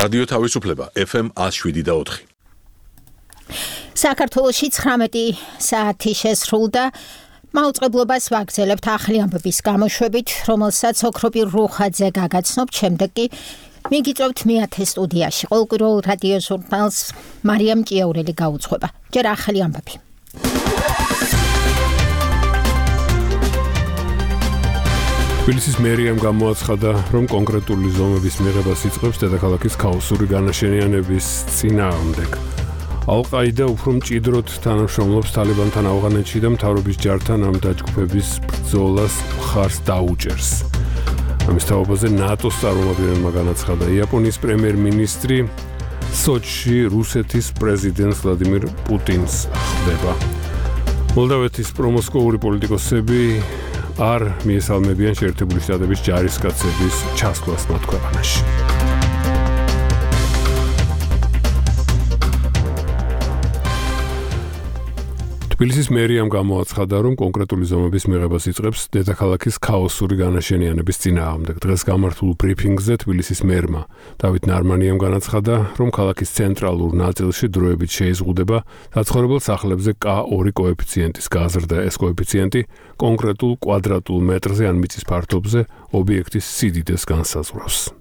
რადიო თავისუფლება FM 107.4. საქართველოში 19 საათი შესრულდა. მაუწყებლობას ვაგრძელებთ ახალი ამბების გამოშვებით, რომელსაც ოქროპირ რუხაძე გაგაცნობთ, შემდეგ კი მიგიწევთ მეათე სტუდიაში. ყოველკვირეულ რადიო ჟურნალს მარიამ ჭიაურელი გაუძღვება. ჯერ ახალი ამბები. თბილისის მერიამ გამოაცხადა, რომ კონკრეტული ზომების მიღებას იწყებს დედაქალაქის ქაოსური განაშენიანების წინააღმდეგ. ალ-ყაიდა უფრო მჭიდროდ თანამშრომლობს თალიბანთან ავღანეთში და მთავრობის ჯართან ამ დაჯგუფების ბრძოლას მხარს დაუჭერს. ამის თაობაზე ნატოს წარმომადგენელმა განაცხადა, იაპონიის პრემიერ-მინისტრი სოჩში რუსეთის პრეზიდენტს ვლადიმირ პუტინს ხვდება. მოლდავეთის პრომოსკოვური პოლიტიკოსები არ მიესალმებიან შეერთებული შტატების ჯარისკაცების ჩასვლას მათ ქვეყანაში. თბილისის მერიამ გამოაცხადა, რომ კონკრეტული ზომების მიღებას იწყებს დედაქალაქის ქაოსური განაშენიანების წინააღმდეგ. დღეს გამართულ ბრიფინგზე თბილისის მერმა დავით ნარმანიამ განაცხადა, რომ ქალაქის ცენტრალურ ნაწილში დროებით შეიზღუდება საცხოვრებელ სახლებზე K2 კოეფიციენტის გაზრდა. ეს კოეფიციენტი კონკრეტულ კვადრატულ მეტრზე ან მიწის ფართობზე ობიექტის სიდიდეს განსაზღვრავს.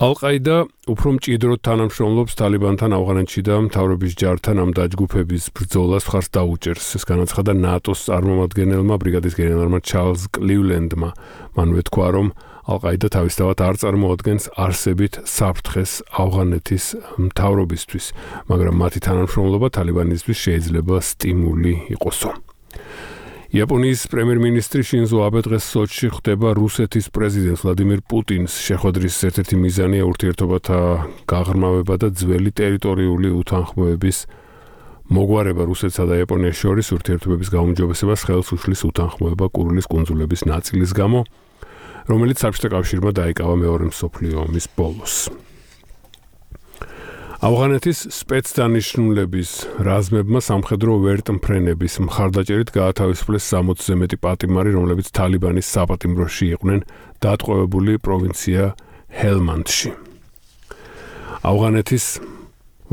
ალ-ყაიდა უფრო მჭიდროდ თანამშრომლობს თალიბანთან ავღანეთში და მთავრობის ჯართან ამ დაჯგუფების ბრძოლას მხარს დაუჭერს. ეს განაცხადა ნატოს წარმომადგენელმა ბრიგადის გენერალმა ჩარლზ კლივლენდმა. მან უთქვა, რომ ალ-ყაიდა თავისთავად არ წარმოადგენს არსებით საფრთხეს ავღანეთის მთავრობისთვის, მაგრამ მათი თანამშრომლობა თალიბანისთვის შეიძლება სტიმული იყოსო. იაპონიის პრემიერ-მინისტრი შინზო აბე დღეს სოჩში ხვდება რუსეთის პრეზიდენტს ვლადიმირ პუტინს. შეხვედრის ერთ-ერთი მიზანია ურთიერთობათა გაღრმავება და ძველი ტერიტორიული უთანხმოების მოგვარება რუსეთსა და იაპონიას შორის. ურთიერთობების გაუმჯობესებას ხელს უშლის უთანხმოება კურილის კუნძულების ნაწილის გამო, რომელიც საბჭოთა კავშირმა დაიკავა მეორე მსოფლიო ომის ბოლოს. ავღანეთის სპეცდანიშნულების რაზმებმა სამხედრო ვერტმფრენების მხარდაჭერით გაათავისუფლეს 60-ზე მეტი პატიმარი, რომლებიც თალიბანის საპატიმროში იყვნენ დატყვევებული პროვინცია ჰელმანდში. ავღანეთის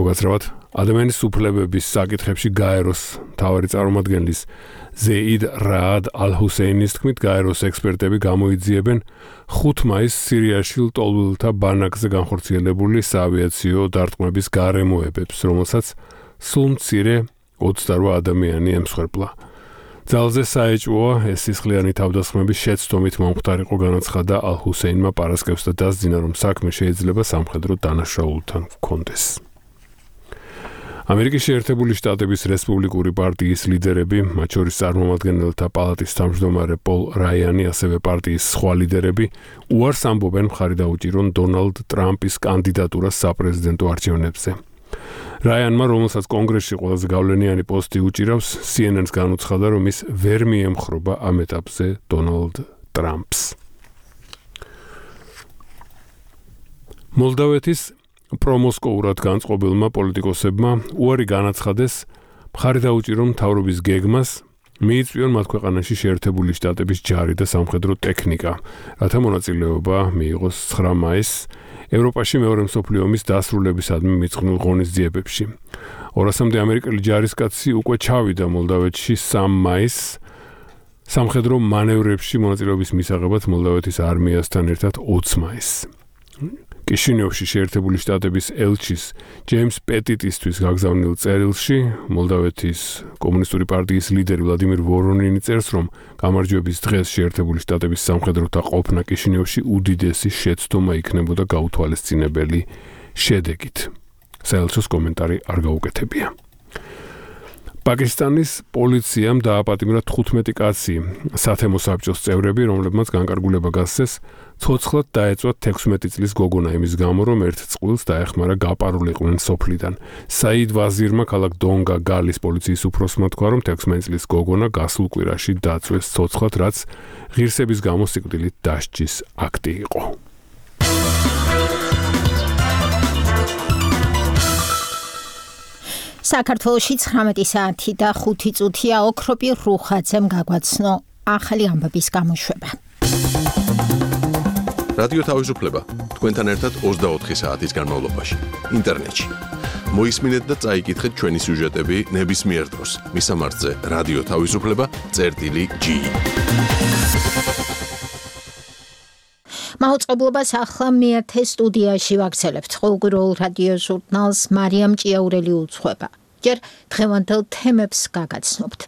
უკაცრავად ადამიანის უფლებების საკითხებში გაეროს მთავარი წარმომადგენლის ზეიდ რაად ალ-ჰუსეინის თქმით, გაეროს ექსპერტები გამოიძიებენ 5 მაისს სირიაში ლტოლვილთა ბანაკზე განხორციელებული საავიაციო დარტყმების გარემოებებს, რომელსაც სულ მცირე 28 ადამიანი ემსხვერპლა. ძალზე საეჭვოა ეს სისხლიანი თავდასხმების შეცდომით მომხდარიყო, განაცხადა ალ-ჰუსეინმა პარასკევს და დასძინა, რომ საქმე შეიძლება სამხედრო დანაშაულთან ჰქონდეს. ამერიკის შეერთებული შტატების რესპუბლიკური პარტიის ლიდერები, მათ შორის წარმომადგენელთა პალატის თავმჯდომარე პოლ რაიანი, ასევე პარტიის სხვა ლიდერები, უარს ამბობენ მხარი დაუჭირონ დონალდ ტრამპის კანდიდატურას საპრეზიდენტო არჩევნებზე. რაიანმა, რომელსაც კონგრესში ყველაზე გავლენიანი პოსტი უჭირავს, CNN-ს განუცხადა, რომ ის ვერ მიემხრობა ამ ეტაპზე დონალდ ტრამპს. მოლდავეთის პრომოსკოურად განწყობილმა პოლიტიკოსებმა უარი განაცხადეს მხარი დაუჭირონ მთავრობის გეგმას მიიწვიონ მათ ქვეყანაში შეერთებული შტატების ჯარი და სამხედრო ტექნიკა, რათა მონაწილეობა მიიღოს 9 მაისს ევროპაში მეორე მსოფლიო ომის დასრულებისადმი მიწყვნილ ღონისძიებებში. 200-მდე ამერიკელი ჯარისკაცი უკვე ჩავიდა მოლდავეთში 3 მაისს სამხედრო მანევრებში მონაწილეობის მისაღებად მოლდავეთის არმიასთან ერთად 20 მაისს. კიშინიოვში შეერთებული შტატების ელჩის ჯეიმს პეტიტისთვის გაგზავნილ წერილში მოლდავეთის კომუნისტური პარტიის ლიდერი ვლადიმირ ვორონინი წერს, რომ გამარჯვების დღეს შეერთებული შტატების სამხედროთა ყოფნა კიშინიოვში უდიდესი შეცდომა იქნებოდა გაუთვალისწინებელი შედეგით. საელჩოს კომენტარი არ გაუკეთებია. პაკისტანის პოლიციამ დააპატიმრა 15 კაცი სათემო საბჭოს წევრები, რომლებმაც განკარგულება გასცეს ცოცხლად დაეწვათ 16 წლის გოგონა იმის გამო, რომ ერთ წყვილს დაეხმარა გაპარულიყვნენ სოფლიდან. საიდ ვაზირმა ქალაქ დონგა გალის პოლიციის უფროსმა თქვა, რომ 16 წლის გოგონა გასულ კვირაში დაწვეს ცოცხლად, რაც ღირსების გამო სიკვდილით დასჯის აქტი იყო. საქართველოში 19 საათი და 5 წუთია ოქროპირ რუხაძემ გაგვაცნო ახალი ამბების გამოშვება. რადიო თავისუფლება თქვენთან ერთად 24 საათის განმავლობაში ინტერნეტში. მოისმინეთ და წაიკითხეთ ჩვენი სიუჟეტები ნებისმიერ დროს. მისამართზე რადიო თავისუფლება.ge. მაუწყებლობას ახლა მეათე სტუდიაში ვაგრძელებთ. ყოველგვარულ რადიო ჟურნალს მარიამ ჭიაურელი უძღვება. ჯერ დღევანდელ თემებს გაგაცნობთ.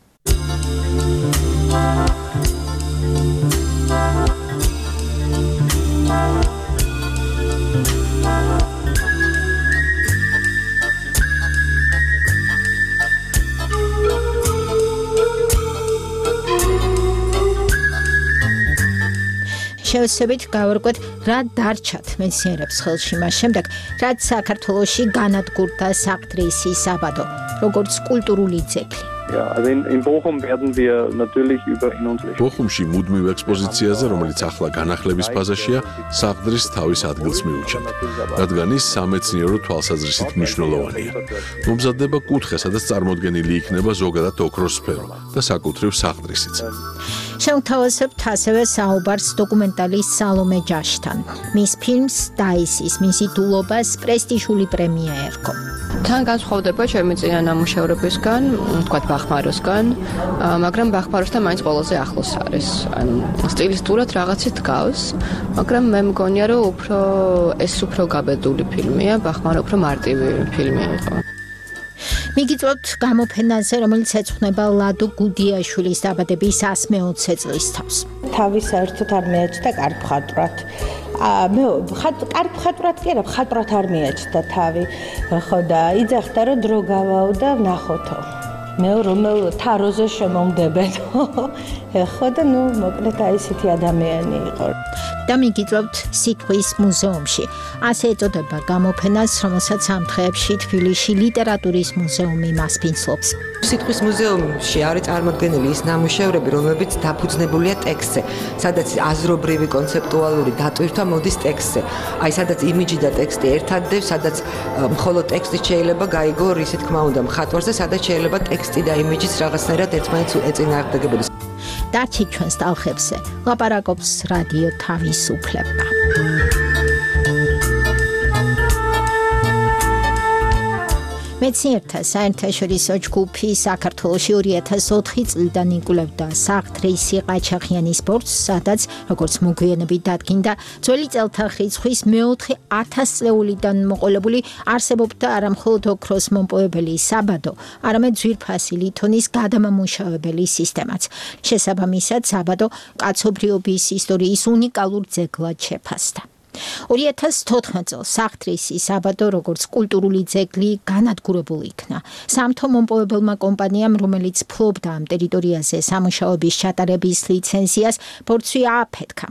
შევსებით გავარკვეთ რა დარჩათ მეცნიერებს ხელში მას შემდეგ, რაც საქართველოში განადგურდა საყდრისი საბადო, როგორც კულტურული ძეგლი. Ja, also in Bochum werden wir natürlich über in unsere ბოხუმში მუდმივ ექსპოზიციაზე, რომელიც ახლა განახლების ფაზაშია, საყდრის თავის ადგილს მიუჩენთ, რადგან ის სამეცნიერო თვალსაზრისით მნიშვნელოვანია. მომზადდება კუთხე, სადაც წარმოდგენილი იქნება ზოგადად ოქროს სფერო და საკუთრივ საყდრისიც. შევთავაზებთ ასევე საუბარს დოკუმენტალის სალომე ჯაშთან. მის ფილმს დაისის მისი დულობას პრესტიჟული პრემია ერგო. თან განსხვავდება ჩემი წინა ნამუშევრებისგან, თქვათ ბახმაროსგან, მაგრამ ბახმაროსთან მაინც ყველაზე ახლოს არის. ანუ სტილისტურად რაღაცით გავს, მაგრამ მე მგონია, რომ უფრო გაბედული ფილმია, ბახმარო უფრო მარტივი ფილმი იყო. მიგიწევთ გამოფენაზე, რომელიც ეძღვნება ლადო გუდიაშვილის დაბადების 120 წლის თავს. თავი საერთოდ არ მეაჩნდა კარგ-მხატვრად. კარგ-მხატვრად კი არა, მხატვრად არ მეაჩნდა თავი. ხო და იძახდა რომ დრო გავაო და ნახოთო. მე რომელ თაროზე შემომდებენო. ხო და მოკლედ აი ესეთი ადამიანი იყო. და მიგიწევთ სიტყვის მუზეუმში. ასე ეწოდება გამოფენას, რომელსაც ამ დღეებში თბილისში ლიტერატურის მუზეუმი მასპინძლობს. სიტყვის მუზეუმში არის წარმოდგენილი ის ნამუშევრები, რომლებიც დაფუძნებულია ტექსტზე, სადაც აზრობრივი კონცეპტუალური დატვირთვა მოდის ტექსტზე. აი სადაც იმიჯი და ტექსტი ერთადდებს, სადაც მხოლოდ ტექსტი შეიძლება გაიგო ისი თქმა უნდა მხატვარზე, სადაც შეიძლება ტექსტი და იმიჯიც რაღაცნაირად ერთმანეთს ეწინააღმდეგებოდეს. დარჩით ჩვენს ტალღებზე, ლაპარაკობს რადიო თავისუფლება. მეცნიერთა საერთაშორისო ჯგუფი საქართველოში 2004 წლიდან იკვლევდა საყდრისი ყაჩაღიანის ბორცვს, სადაც, როგორც მოგვიანებით დადგინდა, ძველი წელთა რიცხვის მეოთხე 1000 წლეულიდან მოყოლებული არსებობდა არა მხოლოდ ოქროს მომპოვებელი საბადო, არამედ ძვირფასი ლითონის გადამამუშავებელი სისტემაც. შესაბამისად, საბადო კაცობრიობის ისტორიის უნიკალურ ძეგლად შეფასდა. 2014 წელს საყდრისი საბადო როგორც კულტურული ძეგლი განადგურებული იქნა. სამთო მომპოვებელმა კომპანიამ, რომელიც ფლობდა ამ ტერიტორიაზე სამუშაოების ჩატარების ლიცენზიას, ბორცვი ააფეთქა.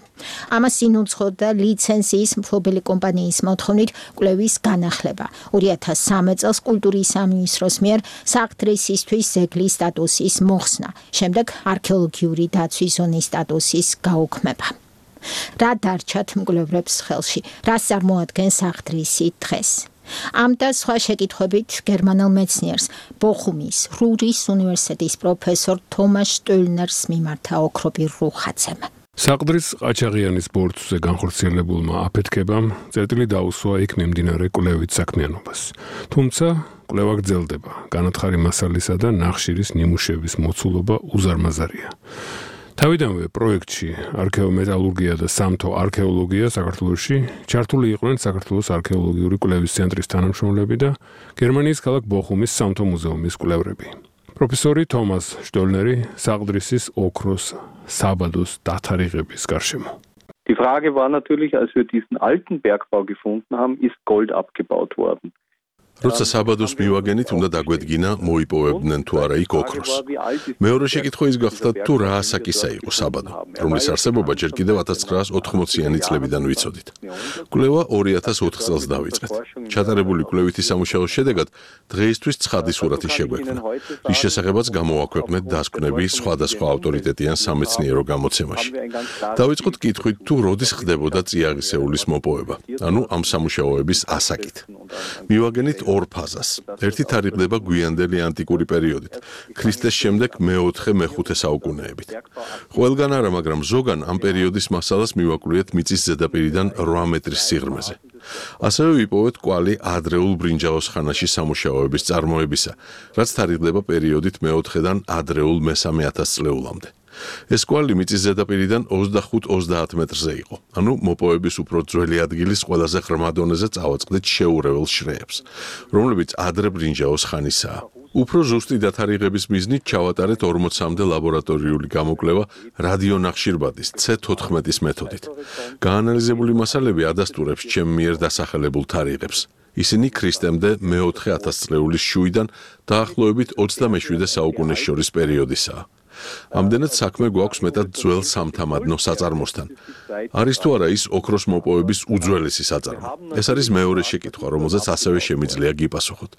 ამას ინუცხოდა ლიცენზიის მფლობელი კომპანიის მოთხოვნით კვლევის განახლება. 2013 წელს კულტურის სამინისტროს მიერ საყდრისისთვის ძეგლის სტატუსის მოხსნა, შემდეგ არქეოლოგიური დაცვის ზონის სტატუსის გაუქმება. რა დარჩათ მკვლევრებს ხელში, რას წარმოადგენს საყდრისი დღეს? ამ და სხვა შეკითხვებით გერმანელ მეცნიერს, ბოხუმის რურის უნივერსიტეტის პროფესორ თომას შტოილნერს მიმართა ოქროპირ რუხაძემ. საყდრის ყაჩაღიანის ბორცვზე განხორციელებულმა აფეთქებამ წერტილი დაუსვა იქ მიმდინარე კვლევით საქმიანობას. თუმცა კვლევა გრძელდება, განათხარი მასალისა და ნახშირის ნიმუშების მოცულობა უზარმაზარია. თავიდანვე პროექტში არქეომეტალურგია და სამთო არქეოლოგია საქართველოში ჩართული იყვნენ საქართველოს არქეოლოგიური კვლევის ცენტრის თანამშრომლები და გერმანიის ქალაქ ბოხუმის სამთო მუზეუმის კვლევრები. პროფესორი თომას შტოილნერი საყდრისის ოქროს საბადოს დათარიღების გარშემო. Die Frage war natürlich, als wir diesen alten Bergbau gefunden haben, ist Gold abgebaut worden. როცა საბადოს მივაგენით, უნდა დაგვედგინა, მოიპოვებდნენ თუ არა იქ ოქროს. მეორე შეკითხვა ის გახდა, თუ რა ასაკისა იყო საბადო, რომლის არსებობა ჯერ კიდევ 1980-იანი წლებიდან ვიცოდით. კვლევა 2004 წელს დავიწყეთ. ჩატარებული კვლევითი სამუშაოს შედეგად დღეისთვის ცხადი სურათი შეგვექმნა, რის შესახებაც გამოვაქვეყნეთ დასკვნები სხვადასხვა ავტორიტეტიან სამეცნიერო გამოცემაში. დავიწყოთ კითხვით, თუ როდის ხდებოდა წიაღისეულის მოპოვება, ანუ ამ სამუშაოების ასაკით. მივაგენით ორ ფაზას. ერთი თარიღდება გვიანდელი ანტიკური პერიოდით, ქრისტეს შემდეგ მე-4-მე-5 საუკუნეებით. ყველგან არა, მაგრამ ზოგან ამ პერიოდის მასალას მივაკვლიეთ მიწის ზედაპირიდან 8 მეტრის სიღრმეზე. ასევე ვიპოვეთ კვალი ადრეულ ბრინჯაოს ხანაში სამუშაოების წარმოებისა, რაც თარიღდება პერიოდით მე-4-დან ადრეულ მე-3000 წლეულამდე. ეს კვალი მიწის ზედაპირიდან 25-30 მეტრზე იყო. ანუ მოპოვების უფრო ძველი ადგილის ყველაზე ღრმა დონეზე წავაწყდით შეურეველს შრეებს, რომლებიც ადრე ბრინჯაოს ხანისაა. უფრო ზუსტი დათარიღების მიზნით ჩავატარეთ 40-მდე ლაბორატორიული გამოკვლევა რადიონახშირბადის C14-ის მეთოდით. გაანალიზებული მასალები ადასტურებს ჩემ მიერ დასახელებულ თარიღებს. ისინი ქრისტემდე მე-4000 წლეულის შუიდან დაახლოებით 27 საუკუნეს შორის პერიოდისაა. ამდენად საქმე გვაქვს მეტად ძველ სამთამადნო საწარმოსთან. არის თუ არა ის ოქროს მოპოვების უძველესი საწარმო? ეს არის მეორე შეკითხვა, რომელზეც ასევე შემიძლია გიპასუხოთ.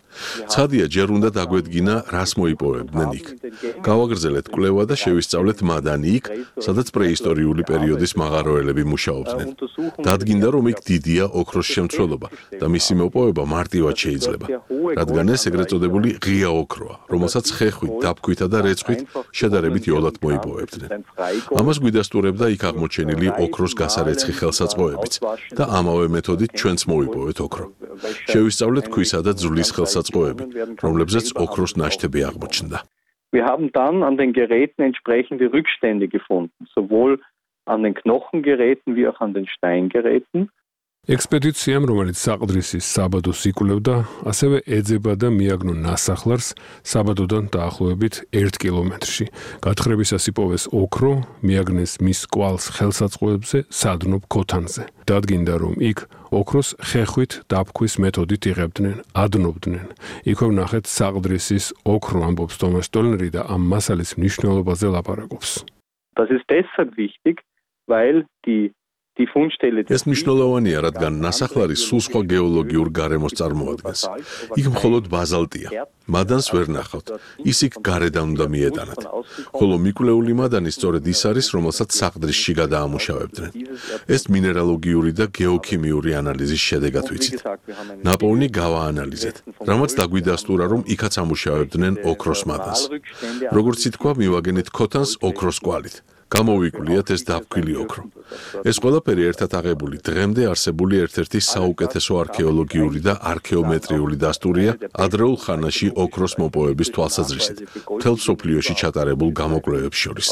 ცხადია, ჯერ უნდა დაგვედგინა, რას მოიპოვებდნენ იქ. გავაგრძელეთ კვლევა და შევისწავლეთ მადანი იქ, სადაც პრეისტორიული პერიოდის მაღაროელები მუშაობდნენ. დადგინდა, რომ იქ დიდია ოქროს შემცველობა და მისი მოპოვება მარტივად შეიძლება, რადგან ეს ეგრეთ წოდებული ღია ოქროა, რომელსაც ხეხვით, დაფქვითა და რეცხვით შედარებით იოლად მოიპოვებდნენ. ამას გვიდასტურებდა იქ აღმოჩენილი ოქროს გასარეცხი ხელსაწყოებიც და ამავე მეთოდით ჩვენც მოვიპოვეთ ოქრო. შევისწავლეთ ქვისა და ძვლის ხელსაწყოები, რომლებზეც ოქროს ნაშთები აღმოჩნდა. Wir haben dann an den Geräten entsprechende Rückstände gefunden, sowohl an den Knochengeräten wie auch an den Steingeräten. ექსპედიციამ, რომელიც საყდრისის საბადოს იკვლევდა, ასევე ეძება და მიაგნო ნასახლარს საბადოდან დაახლოებით 1 კილომეტრში. გათხრებისას იპოვეს ოქრო, მიაგნეს მის კვალს ხელსაწყოებზე სადნობ ქოთანზე. დადგინდა, რომ იქ ოქროს ხეხვით დაფქვის მეთოდით იღებდნენ, ადნობდნენ. იქვე ვნახეთ საყდრისის ოქრო, ამბობს თომას შტოლნერი და ამ მასალის მნიშვნელობაზე ლაპარაკობს. Das ist deshalb wichtig, weil die ეს მნიშვნელოვანია, რადგან ნასახლარი სულ სხვა გეოლოგიურ გარემოს წარმოადგენს. იქ მხოლოდ ბაზალტია. მადანს ვერ ნახავთ. ის იქ გარედან უნდა მიეტანათ. ხოლო მიკვლეული მადანი სწორედ ის არის, რომელსაც საყდრისში გადაამუშავებდნენ. ეს მინერალოგიური და გეოქიმიური ანალიზის შედეგად ვიცით. ნაპოვნი გავაანალიზეთ, რამაც დაგვიდასტურა, რომ იქაც ამუშავებდნენ ოქროს მადანს. როგორც ითქვა, მივაგენით ქოთანს ოქროს კვალით. გამოვიკვლიათ ეს დაფქვილი ოქრო. ეს ყველაფერი ერთად აღებული დღემდე არსებული ერთ-ერთი საუკეთესო არქეოლოგიური და არქეომეტრიული დასტურია ადრეულ ხანაში ოქროს მოპოვების თვალსაზრისით, მთელ მსოფლიოში ჩატარებულ გამოკვლევებს შორის.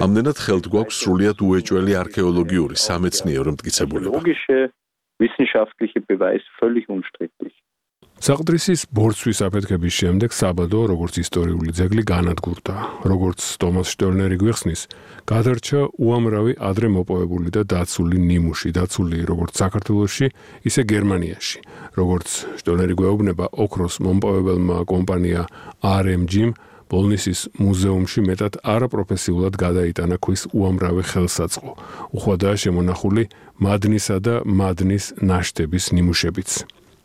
ამდენად ხელთ გვაქვს სრულიად უეჭველი არქეოლოგიური სამეცნიერო მტკიცებულება. საყდრისის ბორცვის აფეთქების შემდეგ საბადო, როგორც ისტორიული ძეგლი განადგურდა. როგორც თომას შტოლნერი გვიხსნის, გადარჩა უამრავი ადრე მოპოვებული და დაცული ნიმუში, დაცული როგორც საქართველოში, ისე გერმანიაში. როგორც შტოლნერი გვეუბნება, ოქროს მომპოვებელმა კომპანია RMG-მ ბოლნისის მუზეუმში მეტად არაპროფესიულად გადაიტანა ქვის უამრავი ხელსაწყო. უხვადაა შემონახული მადნისა და მადნის ნაშთების ნიმუშებიც.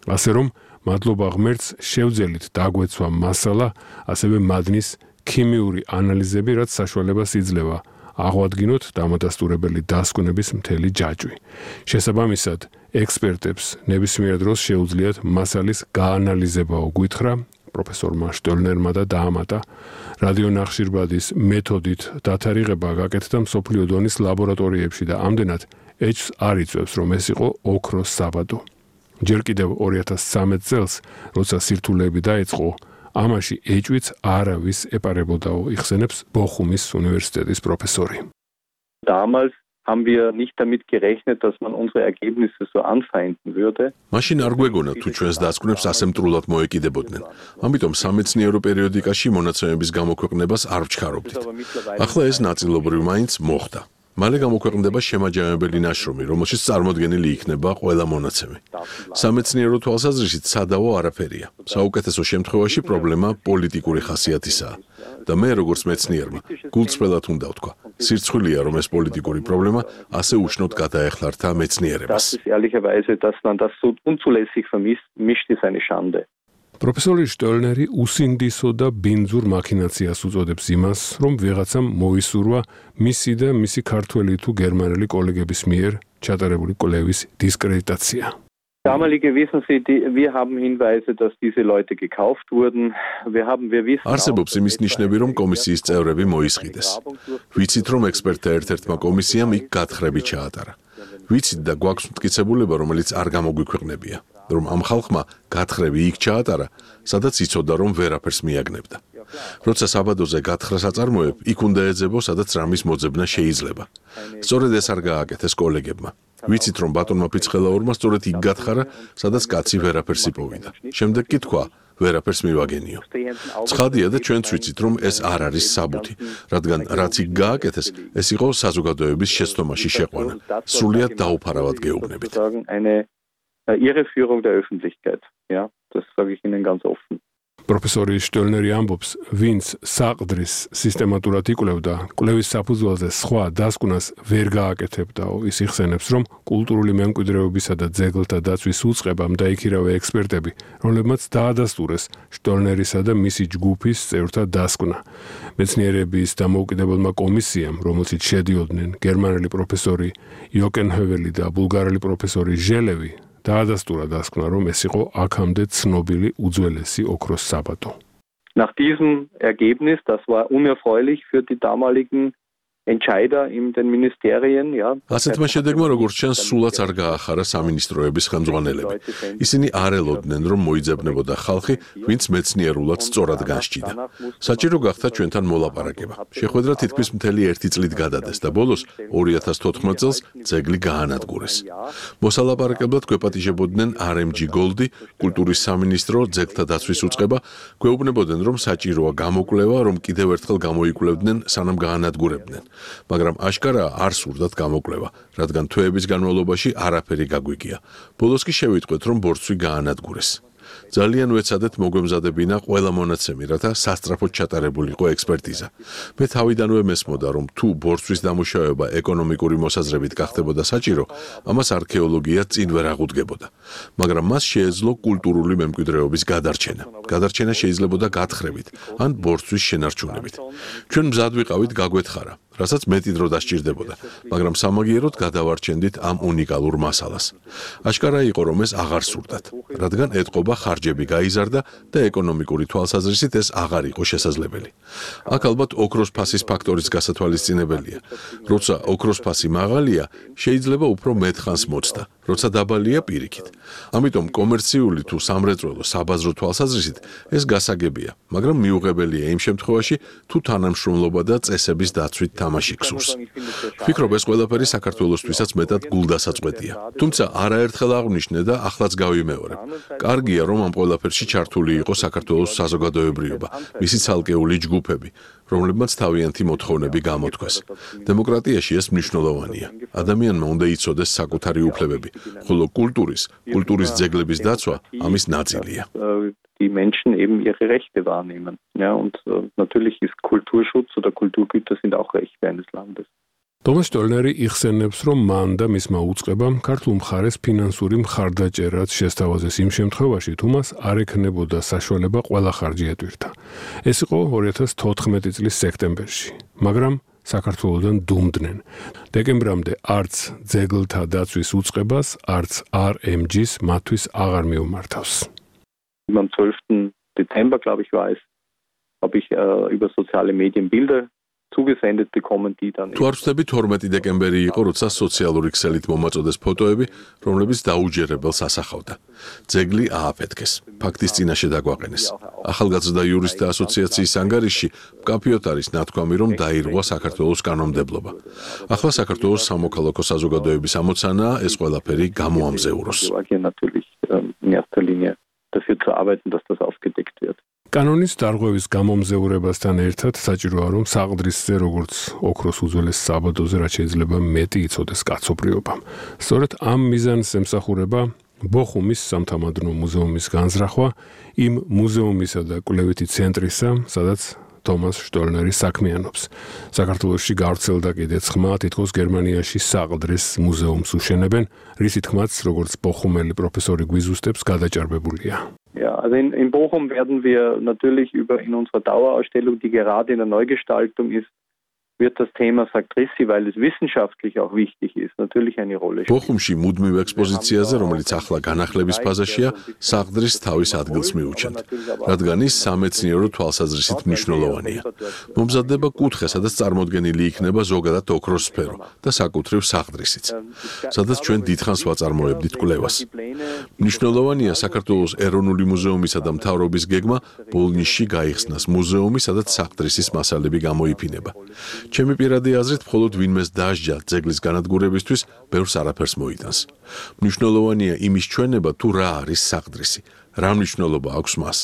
ასე რომ მადლობა ღმერთს შევძელით დაგვეცვა მასალა, ასევე მადნის ქიმიური ანალიზები, რაც საშუალებას იძლევა აღვადგინოთ დამადასტურებელი დასკვნების მთელი ჯაჭვი. შესაბამისად, ექსპერტებს ნებისმიერ დროს შეუძლიათ მასალის გაანალიზებაო გვითხრა პროფესორმა შტოლნერმა და დაამატა რადიონახშირბადის მეთოდით დათარიღება გაკეთდა მსოფლიო დონის ლაბორატორიებში და ამდენად ეჭვს არ იწვევს, რომ ეს იყო ოქროს საბადო. ჯერ კიდევ 2013 წელს, როცა სირთულეები დაიწყო, ამაში ეჭვიც არავის ეპარებოდაო, იხსენებს ბოხუმის უნივერსიტეტის პროფესორი. Damals haben wir nicht damit gerechnet, dass man unsere Ergebnisse so anfeinden würde. მაშინ არ გვეგონა თუ ჩვენს დასკვნებს ასე მტრულად მოეკიდებოდნენ. ამიტომ სამეცნიერო პერიოდიკაში მონაცემების გამოქვეყნებას არ ვჩქარობდით. ახლა ეს ნაწილობრივ მაინც მოხდა. მალე გამოქვეყნდება შემაჯამებელი ნაშრომი, რომელშიც წარმოდგენილი იქნება ყველა მონაცემი. სამეცნიერო თვალსაზრისით სადავო არაფერია. საუკეთესო შემთხვევაში პრობლემა პოლიტიკური ხასიათისაა. და მე როგორც მეცნიერმა, გულწრფელად უნდა ვთქვა, სირცხვილია, რომ ეს პოლიტიკური პრობლემა ასე უშნოდ გადაეხლართა მეცნიერებას. პროფესორი შტოლნერი უსინდისო და ბინძურ მაქინაციას უწოდებს იმას, რომ ვიღაცამ მოისურვა მისი და მისი ქართველი თუ გერმანელი კოლეგების მიერ ჩატარებული კვლევის დისკრედიტაცია. Damalige wissen Sie, wir haben Hinweise, dass diese Leute gekauft wurden. Wir wissen არსებობს იმის ნიშნები, რომ კომისიის წევრები მოისყიდეს. ვიცით, რომ ექსპერტთა ერთ-ერთმა კომისიამ იქ გათხრები ჩაატარა. ვიცით და გვაქვს მტკიცებულება, რომელიც არ გამოგვიქვეყნებია, რომ ამ ხალხმა გათხრები იქ ჩაატარა, სადაც იცოდა, რომ ვერაფერს მიაგნებდა. როცა საბადოზე გათხრას აწარმოებ, იქ უნდა ეძებო, სადაც რამის მოძებნა შეიძლება. სწორედ ეს არ გააკეთეს კოლეგებმა. ვიცით, რომ ბატონმა ფიცხელაურმა სწორედ იქ გათხარა, სადაც კაცი ვერაფერს იპოვიდა. შემდეგ კი თქვა, ვერაფერს მივაგენიო. ცხადია და ჩვენც ვიცით, რომ ეს არ არის საბუთი, რადგან რაც იქ გააკეთეს, ეს იყო საზოგადოების შეცდომაში შეყვანა. სრულიად დაუფარავად გეუბნებით. Irreführung der Öffentlichkeit. Ja, das sage ich Ihnen ganz offen. პროფესორი შტოლნერი ამბობს, ვინც საყდრის სისტემატურად იკვლევდა, კვლევის საფუძველზე სხვა დასკვნას ვერ გააკეთებდაო, ის იხსენებს, რომ კულტურული მემკვიდრეობისა და ძეგლთა დაცვის უწყებამ დაიქირავა ექსპერტები, რომლებმაც დაადასტურეს შტოლნერისა და მისი ჯგუფის წევრთა დასკვნა. მეცნიერების დამოუკიდებელმა კომისიამ, რომელშიც შედიოდნენ გერმანელი პროფესორი იოკენჰოველი და ბულგარელი პროფესორი ჟელევი, დაადასტურა დასკვნა, რომ ეს იყო აქამდე ცნობილი უძველესი ოქროს საბადო. Nach diesem Ergebnis, das war unerfreulich für die damaligen Entscheider in den Ministerien, ja. ასეთმა შედეგმა, როგორც ჩანს, სულაც არ გაახარა სამინისტროების ხელმძღვანელები. ისინი არ ელოდნენ, რომ მოიძებნებოდა ხალხი, ვინც მეცნიერულად სწორად განსჭიდა. საჭირო გახდა ჩვენთან მოლაპარაკება. შეხვედრა თითქმის მთელი 1 წლით გადადეს და ბოლოს 2014 წელს ძეგლი გაანადგურეს. მოსალაპარაკებლად გვეპატიჟებოდნენ RMG Gold, კულტურის სამინისტრო, ძეგლთა დაცვის უწყება, გვეუბნებოდნენ, რომ საჭიროა გამოკვლევა, რომ კიდევ ერთხელ გამოიკვლევდნენ, სანამ გაანადგურებდნენ. მაგრამ აშკარაა არ სურდათ გამოკვლევა, რადგან თვეების განმავლობაში არაფერი გაგვიგია. ბოლოს კი შევიტყვეთ, რომ ბორცვი გაანადგურეს. ძალიან ვეცადეთ მოგვემზადებინა ყველა მონაცემი, რათა სასწრაფოდ ჩატარებულიყო ექსპერტიზა. მე თავიდანვე მესმოდა, რომ თუ ბორცვის დამუშავება ეკონომიკური მოსაზრებით გახდებოდა საჭირო, ამას არქეოლოგია წინ ვერ აღუდგებოდა. მაგრამ მას შეეძლო კულტურული მემკვიდრეობის გადარჩენა. გადარჩენა შეიძლებოდა გათხრებით ან ბორცვის შენარჩუნებით. ჩვენ მზად ვიყავით გაგვეთხარა, რასაც მეტი დრო დასჭირდებოდა, მაგრამ სამაგიეროდ გადავარჩენდით ამ უნიკალურ მასალას. აშკარა იყო, რომ ეს აღარ სურდათ, რადგან ეთყობა ხარჯები გაიზარდა და ეკონომიკური თვალსაზრისით ეს აღარ იყო შესაძლებელი. აქ ალბათ ოქროს ფასის ფაქტორიც გასათვალისწინებელია. როცა ოქროს ფასი მაღალია, შეიძლება უფრო მეტ ხანს მოწდა, როცა დაბალია პირიქით. ამიტომ კომერციული თუ სამრეწველო საბაზრო თვალსაზრისით ეს გასაგებია, მაგრამ მიუღებელია იმ შემთხვევაში, თუ თანამშრომლობა და წესების დაცვით თამაში გსურს. ვფიქრობ, ეს ყველაფერი საქართველოსთვისაც მეტად გულდასაწყვეტია. თუმცა არაერთხელ აღვნიშნე და ახლაც გავიმეორებ. კარგია, რომ ამ ყველაფერში ჩართული იყო საქართველოს საზოგადოებრიობა, მისი ცალკეული ჯგუფები, რომლებმაც თავიანთი მოთხოვნები გამოთქვეს. დემოკრატიაში ეს მნიშვნელოვანია. ადამიანმა უნდა იცოდეს საკუთარი უფლებები, ხოლო კულტურის ძეგლების დაცვა ამის ნაწილია. Die Menschen eben ihre Rechte wahrnehmen. Ja, und natürlich ist Kulturschutz oder Kulturgüter sind auch Rechte eines Landes. თომას შტოლნერი იხსენებს, რომ მან და მისმა უწყებამ ქართულ მხარეს ფინანსური მხარდაჭერაც შესთავაზეს იმ შემთხვევაში, თუ მას არ ექნებოდა საშუალება ყველა ხარჯი ეტვირთა. ეს იყო 2014 წლის სექტემბერში, მაგრამ საქართველოდან დუმდნენ. დეკემბრამდე არც ძეგლთა დაცვის უწყებას, არც RMG-ს მათთვის აღარ მიუმართავს. Am 12. Dezember, glaube ich, war es, habe ich über soziale Medien Bilder zugesendet bekommen, die dann... თუ არ ვცდები 12 დეკემბერი იყო, როცა სოციალური ქსელით მომაწოდეს ფოტოები, რომლებიც დაუჯერებელს ასახავდა. ძეგლი ააფეთქეს, ფაქტის წინაშე დაგვაყენეს. ახალგაზრდა იურისტთა ასოციაციის ანგარიშში მკაფიოდ არის ნათქვამი, რომ დაირღვა საქართველოს კანონმდებლობა. ახლა საქართველოს სამოქალაქო საზოგადოების ამოცანაა ეს ყველაფერი გამოამზეუროს. dafür zu arbeiten, dass das aufgedeckt wird. კანონის დარღვევის გამომზეურებასთან ერთად საჭიროა, რომ საყდრისზე, როგორც ოქროს უძველეს საბადოზე, რაც შეიძლება მეტი იცოდეს კაცობრიობამ. სწორედ ამ მიზანს ემსახურება ბოხუმის სამთამადნო მუზეუმის განზრახვა, იმ მუზეუმისა და კვლევითი ცენტრისა, სადაც თომას შტოლნერი საქმიანობს. საქართველოში გავრცელდა კიდეც ხმა, თითქოს გერმანიაში საყდრის მუზეუმს უშენებენ, რისი თქმაც, როგორც ბოხუმელი პროფესორი გვიზუსტებს, გადაჭარბებულია. Ja, also in Bochum werden wir natürlich in unserer Dauerausstellung, die gerade in der Neugestaltung ist, wird das Thema Saktrissi, weil es wissenschaftlich auch wichtig ist, natürlich eine Rolle spielen. Bochumში მუდმივ ექსპოზიციაზე, რომელიც ახლა განახლების ფაზაშია, საყდრის თავის ადგილს მიუჩენთ, რადგან ის სამეცნიერო თვალსაზრისით მნიშვნელოვანია. მომზადდება კუთხე, სადაც წარმოდგენილი იქნება ზოგადად ოქროს სფერო და საკუთრივ საყდრისიც, სადაც ჩვენ დიდხანს ვაწარმოებდით კვლევას. მნიშვნელოვანია საქართველოს ეროვნული მუზეუმისა და მთავრობის გეგმა ბოლნისში გაიხსნას მუზეუმი, სადაც საყდრისის მასალები გამოიფინება. ჩემი პირადი აზრით, მხოლოდ ვინმეს დაასჯა ძეგლის განადგურებისთვის, ბევრს არაფერს მოიტანს. მნიშვნელოვანია იმის ჩვენება, თუ რა არის საყდრისი, რა მნიშვნელობა აქვს მას.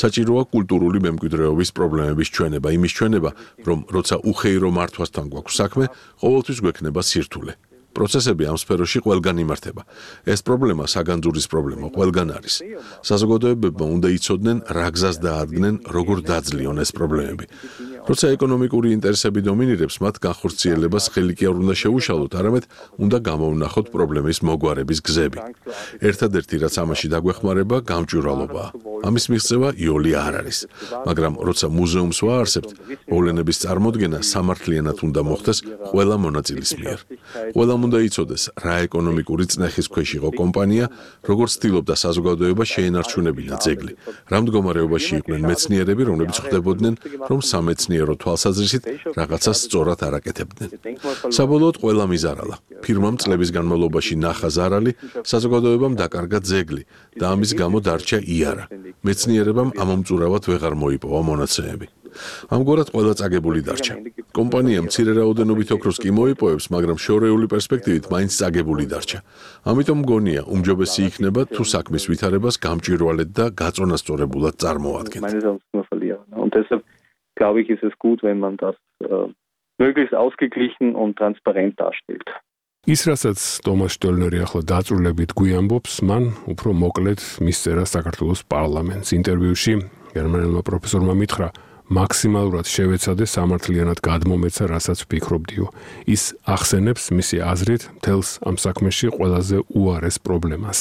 საჭიროა კულტურული მემკვიდრეობის პრობლემების ჩვენება, იმის ჩვენება, რომ როცა უხეირო მართვასთან გვაქვს საქმე, ყოველთვის გვექნება სირთულე. პროცესები ამ სფეროში ყველგან იმართება. ეს პრობლემა საგანძურის პრობლემა ყველგან არის. საზოგადოებებმა უნდა იცოდნენ, რა გზას დაადგნენ, როგორ დაძლიონ ეს პრობლემები. როცა ეკონომიკური ინტერესები დომინირებს, მათ განხორციელებას ხელი კი არ უნდა შეუშალოთ, არამედ უნდა გამოვნახოთ პრობლემის მოგვარების გზები. ერთადერთი რაც ამაში დაგვეხმარება, გამჭვირვალობაა. ამის მიღწევა იოლი არ არის. მაგრამ როცა მუზეუმს ვაარსებთ, მოვლენების წარმოდგენა სამართლიანად უნდა მოხდეს ყველა მონაწილის მიერ. ყველამ უნდა იცოდეს, რა ეკონომიკური წნეხის ქვეშ იყო კომპანია, როგორც ცდილობდა საზოგადოება შეენარჩუნებინა ძეგლი. რა მდგომარეობაში იყვნენ მეცნიერები, რომლებიც ხვდებოდნენ, რომ სამეცნიერო თვალსაზრისით რაღაცას სწორად არ აკეთებდნენ. საბოლოოდ ყველა მიზარალა. ფირმამ წლების განმავლობაში ნახა ზარალი, საზოგადოებამ დაკარგა ძეგლი და ამის გამო დარჩა იარა. მეცნიერებამ ამომწურავად ვეღარ მოიპოვა მონაცემები. ამგვარად ყველა წაგებული დარჩა. კომპანია მცირე რაოდენობით ოქროს კი მოიპოვებს, მაგრამ შორეული პერსპექტივით მაინც წაგებული დარჩა. ამიტომ მგონია, უმჯობესი იქნება თუ საქმის ვითარებას გამჭვირვალედ და გაწონასწორებულად წარმოადგენთ. Und deshalb glaube ich, ist es gut, wenn man das möglichst ausgeglichen und transparent darstellt. ის რასაც ტომას შტოლნერი ახლა დაწვრილებით გვიამბობს, მან უფრო მოკლედ მისწერა საქართველოს პარლამენტს. ინტერვიუში გერმანელმა პროფესორმა მითხრა, მაქსიმალურად შევეცადე სამართლიანად გადმომეცა, რასაც ვფიქრობდიო. ის ახსენებს მისი აზრით მთელს ამ საქმეში ყველაზე უარეს პრობლემას.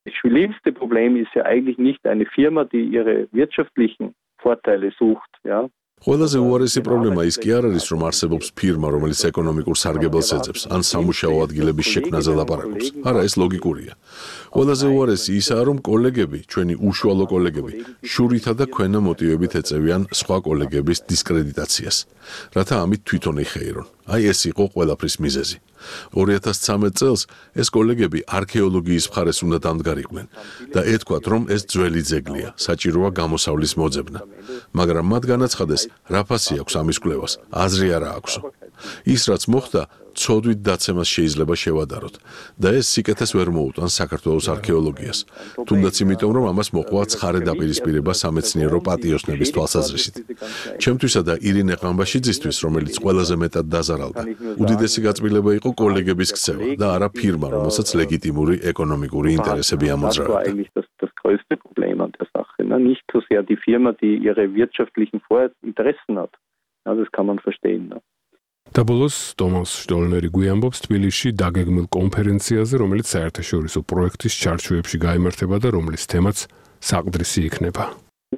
Das schlimmste Problem ist ja eigentlich nicht eine Firma, die ihre wirtschaftlichen Vorteile sucht, ja. ყველაზე უარესი პრობლემა ის კი არ არის, რომ არსებობს ფირმა, რომელიც ეკონომიკურ სარგებელს ეძებს, ან სამუშაო ადგილების შექმნაზე ლაპარაკობს. არა, ეს ლოგიკურია. ყველაზე უარესი ისაა, რომ კოლეგები, ჩვენი უშუალო კოლეგები, შურითა და ქვენა მოტივებით ეწევიან სხვა კოლეგების დისკრედიტაციას, რათა ამით თვითონ იხეირონ. აი ეს იყო ყველაფრის მიზეზი. 2013 წელს ეს კოლეგები არქეოლოგიის მხარეს უნდა დამდგარიყვნენ და ეთქვათ, რომ ეს ძველი ძეგლია, საჭიროა გამოსავლის მოძებნა. მაგრამ მათ განაცხადეს, რა ფასი აქვს ამის კვლევას, აზრი არა აქვსო. ის რაც მოხდა, ცოდვით დაცემას შეიძლება შევადაროთ და ეს სიკეთეს ვერ მოუტანს საქართველოს არქეოლოგიას. თუნდაც იმიტომ, რომ ამას მოყვა ცხარე დაპირისპირება სამეცნიერო პატიოსნების თვალსაზრისით. ჩემთვისა და ირინე ყამბაშიძისთვის, რომელიც ყველაზე მეტად დაზარალდა, უდიდესი გაწმილება იყო კოლეგების ქცევა და არა ფირმა, რომელსაც ლეგიტიმური ეკონომიკური ინტერესები ამოძრავებდა. Das größte Problem an der Sache, nicht so sehr die Firma, die ihre wirtschaftlichen Interessen hat. Ja, das kann man verstehen. და ბოლოს ტომას შტოლნერი გვიამბობს თბილისში დაგეგმილ კონფერენციაზე, რომელიც საერთაშორისო პროექტის ჩარჩოებში გაიმართება და რომლის თემაც საყდრისი იქნება.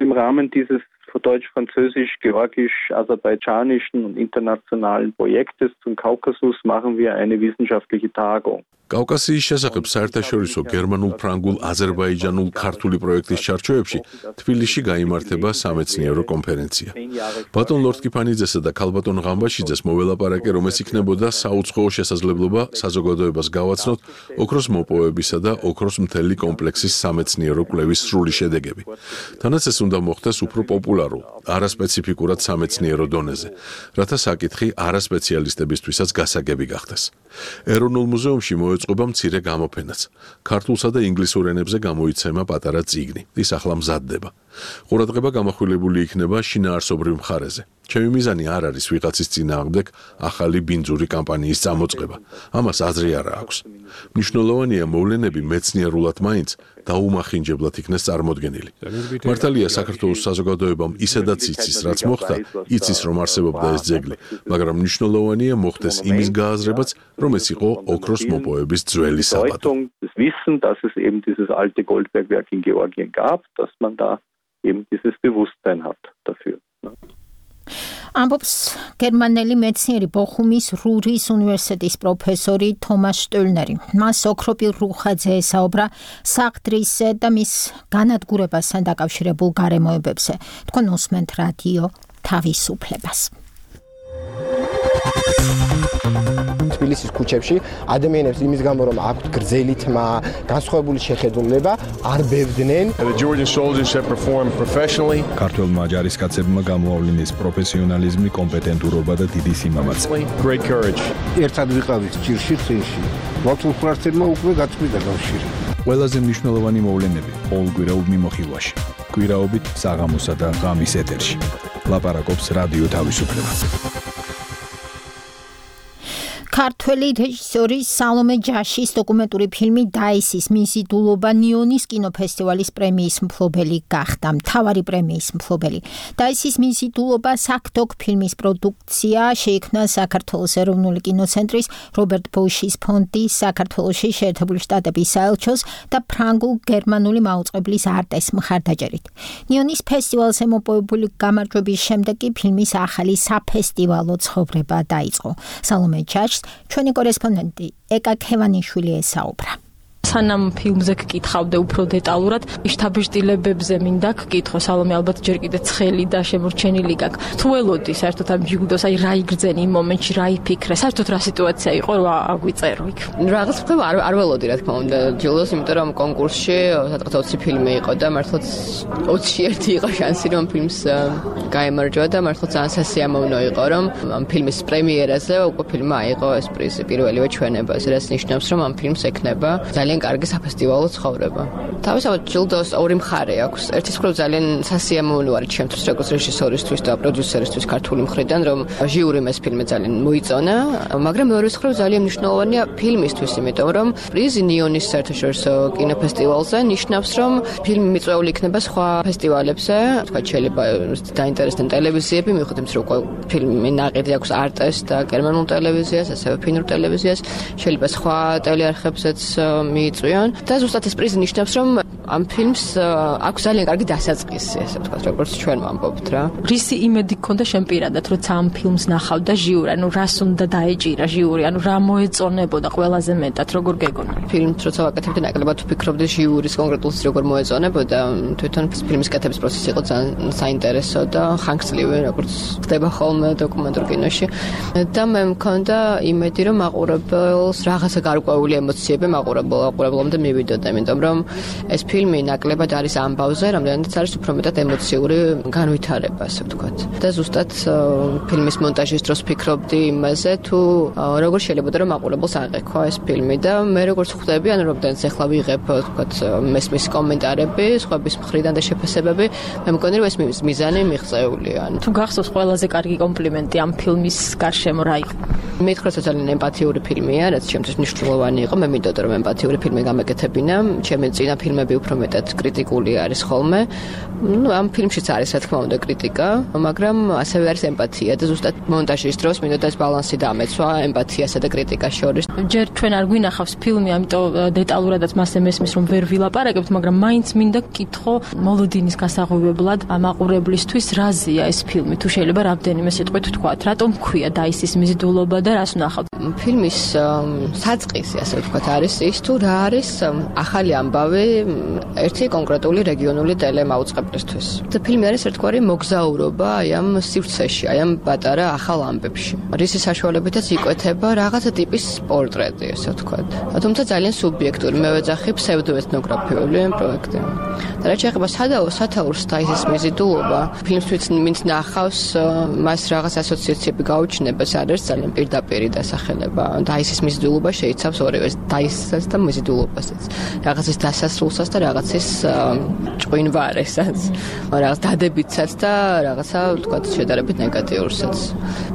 Im Rahmen dieses deutsch-französisch-georgisch-aserbaidschanischen und internationalen Projektes zum Kaukasus machen wir eine wissenschaftliche Tagung. კავკასიის შესახებ საერთაშორისო გერმანულ-ფრანგულ, აზერბაიჯანულ, ქართული პროექტის ჩარჩოებში თბილისში გაიმართება სამეცნიერო კონფერენცია. ბატონ ლორთკიფანიძესა და ქალბატონ ღამბაშიძეს მოველაპარაკე, რომ ეს იქნებოდა საუცხოო შესაძლებლობა საზოგადოებას გავაცნოთ ოქროს მოპოვებისა და ოქროს მთელი კომპლექსის სამეცნიერო კვლევის სრული შედეგები. თანაც ეს უნდა მოხდეს უფრო პოპულარულ, არასპეციფიკურად სამეცნიერო დონეზე, რათა საკითხი არასპეციალისტებისთვისაც გასაგები გახდეს. ეროვნულ მუზეუმში მოეწყობა მცირე გამოფენაც. ქართულსა და ინგლისურ ენებზე გამოიცემა პატარა წიგნი. ის ახლა მზადდება. ყურადღება გამახვილებული იქნება შინაარსობრივ მხარეზე. ჩემი მიზანი არ არის ვიღაცის წინააღმდეგ ახალი ბინძური კამპანიის წამოწყება. ამას აზრი არა აქვს. მნიშვნელოვანია მოვლენები მეცნიერულად მაინც დაუმახინჯებლად იქნეს წარმოდგენილი. მართალია საქართველოს საზოგადოებამ ისედაც იცის, რაც მოხდა, იცის, რომ არსებობდა ეს ძეგლი, მაგრამ მნიშვნელოვანია მოხდეს იმის გააზრებაც, რომ ეს იყო ოქროს მოპოვების ძველი საბადო. Das Wissen, dass es eben dieses alte Goldbergwerk in Georgien gab, dass man da eben dieses Bewusstsein hat dafür. ამბობს გერმანელი მეცნიერი ბოხუმის რურის უნივერსიტეტის პროფესორი თომას შტულნერი. მას ოქროპირ რუხაძე ესაუბრა საყდრისზე და მის განადგურებასთან დაკავშირებულ გარემოებებზე. თქვენ უსმენთ რადიო თავისუფლებას. თბილისის ქუჩებში ადამიანებს იმის გამო რომ აქვთ გრძელი თმა, განსხვავებული შეხედულება, არ ბევდნენ. The Georgian soldiers have performed professionally. ქართველმა ჯარისკაცებმა გამოავლინეს პროფესიონალიზმი, კომპეტენტურობა და დიდი სიმამაცე. Great courage. ერთად ვიყავით ჭირში წინში. მართულ ფრთებმა უკვე გაწყვიტა კავშირი. ყველაზე მნიშვნელოვანი მოვლენები ყოველკვირეულ მიმოხილვაში. კვირაობით საღამოსა და ღამის ეთერში. ლაპარაკობს რადიო თავისუფლება. ქართველი რეჟისორი სალომე ჯაშის დოკუმენტური ფილმი დაისის მიზიდულობა ნიონის კინოფესტივალის პრემიის მფლობელი გახდა. მთავარი პრემიის მფლობელი. დაისის მიზიდულობა საკდოკ ფილმის პროდუქცია შეიქმნა საქართველოს ეროვნული კინოცენტრის რობერტ ბოშის ფონდის, საქართველოში შეერთებული შტატების საელჩოს და ფრანგულ-გერმანული მაუწყებლის არტეს მხარდაჭერით. ნიონის ფესტივალზე მოპოვებული გამარჯვების შემდეგ კი ფილმის ახალი საფესტივალო ცხოვრება დაიწყო. სალომე ჯაშს ჩვენი კორესპონდენტი ეკა ქევანიშვილი ესაუბრა. სანამ ფილმზე გკითხავდე უფრო დეტალურად, შთაბეჭდილებებზე მინდა გკითხო. სალომე ალბათ ჯერ კიდე ცხელი და შემორჩენილი გაქვს. თუ ველოდი საერთოდ ამ ჯილდოს, აი რა იგრძენი იმ მომენტში, რა იფიქრე, საერთოდ რა სიტუაცია იყო, რა აგვიწერო იქ. რაღაც ხდება არ ველოდი რა თქმა უნდა ჯილდოს, იმიტომ რომ კონკურსში სადღაც 20 ფილმი იყო და მართლაც 20-ში ერთი იყო შანსი რომ ფილმს გაემარჯვა და მართლაც ძალიან სასიამოვნო იყო რომ ამ ფილმის პრემიერაზე უკვე ფილმმა აიღო ეს პრიზი პირველივე ჩვენებაზე, რაც ნიშნავს რომ ამ ფილმს ექნება ძალიან კარგი საფესტივალო ცხოვრება. თავისთავად ჯილდოს ორი მხარე აქვს. ერთის მხრივ ძალიან სასიამოვნო არის ჩემთვის როგორც რეჟისორისთვის და პროდიუსერისთვის ქართული მხრიდან, რომ ჟიურიმ ეს ფილმი ძალიან მოიწონა, მაგრამ მეორეს მხრივ ძალიან მნიშვნელოვანია ფილმისთვის, იმიტომ რომ პრიზი ნიონის საერთაშორისო კინოფესტივალზე ნიშნავს, რომ ფილმი მიწვეული იქნება სხვა ფესტივალებზე, თქვა შეიძლება დაინტერესდნენ ტელევიზიები, მიუხედავად იმისა, რომ ფილმი ნაყიდი აქვს არტეს და გერმანულ ტელევიზიას, ასევე ფინურ ტელევიზიას, შეიძლება სხვა ტელეარხებზეც მიიწვიონ და ზუსტად ეს პრიზი ნიშნავს, რომ ამ ფილმს აქვს ძალიან კარგი დასაწყისი, ესე ვთქვათ, როგორც ჩვენ ვამბობთ რა. რისი იმედი გქონდა შენ პირადად, როცა ამ ფილმს ნახავდა ჟიური, ანუ რას უნდა დაეჭირა ჟიური, ანუ რა მოეწონებოდა ყველაზე მეტად, როგორ გეგონა? ფილმს როცა ვაკეთებდი, ნაკლებად ვფიქრობდი ჟიურის კონკრეტულს როგორ მოეწონებოდა, თვითონ ფილმის კეთების პროცესი იყო ძალიან საინტერესო და ხანგრძლივი, როგორც ხდება ხოლმე დოკუმენტურ კინოში. და მე მქონდა იმედი, რომ მაყურებელს რაღაცა გარკვეული ემოციები მაყურებლობამდე მივიდოდა, იმიტომ რომ ეს ფილმი ნაკლებად არის ამბავზე, რამდენადაც არის უფრო მეტად ემოციური განვითარება, ასე ვთქვათ. და ზუსტად ფილმის მონტაჟის დროს ფიქრობდი იმაზე, თუ როგორ შეიძლება რომ მაყურებელს აღექვა ეს ფილმი და მე როგორც ხვდები, ანუ რამდენიც ახლა ვიღებ, ვთქვათ, მესმის კომენტარები, სხვების მხრიდან და შეფასებები, მე მგონი რომ ეს მიზანი მიღწეულია. თუ გახსოვს ყველაზე კარგი კომპლიმენტი ამ ფილმის გარშემო რა იყო? მითხრა ძალიან ემპათიური ფილმია, რაც ჩემთვის მნიშვნელოვანი იყო. მე მინდოდა რომ ემპათიური ფილმი გამეკეთებინა. ჩემი წინა ფილმები უფრო მეტად კრიტიკული არის ხოლმე. ამ ფილმშიც არის რა თქმა უნდა კრიტიკა, მაგრამ ასევე არის ემპათია და ზუსტად მონტაჟის დროს მინდოდა ეს ბალანსი დამეცვა ემპათიასა და კრიტიკას შორის. ჯერ ჩვენ არ გვინახავს ფილმი, ამიტომ დეტალურადაც მასე მესმის რომ ვერ ვილაპარაკებთ, მაგრამ მაინც მინდა გკითხო მოლოდინის გასაღვივებლად მაყურებლისთვის რაზეა ეს ფილმი, თუ შეიძლება რამდენიმე სიტყვით ვთქვათ, რატომ ქვია დაისის მიზიდულობა და რას ვნახავთ? ფილმის საწყისი, ასე ვთქვათ, არის ის თუ რა არის ახალი ამბავი ერთი კონკრეტული რეგიონული ტელემაუწყებლისთვის. და ფილმი არის ერთგვარი მოგზაურობა აი ამ სივრცეში, აი ამ პატარა ახალ ამბებში. რისი საშუალებითაც იკვეთება რაღაცა ტიპის პორტრეტი, ასე ვთქვათ. თუმცა ძალიან სუბიექტური, მე ვეძახი ფსევდოეთნოგრაფიული პროექტი. და რაც შეეხება სათაურს დაისის მიზიდულობა, ფილმს ვინც ნახავს, მას რაღაც ასოციაციები გაუჩნდება, ეს არის ძალიან პირდაპირი დასახელება. დაისის მიზიდულობა შეიცავს ორივეს, დაისსაც და მიზიდულობასაც. რაღაცის დასასრულსაც და რაღაცის ჭვინვარესაც, რაღაც დადებითსაც და რაღაცა, ვთქვათ, შედარებით ნეგატიურსაც.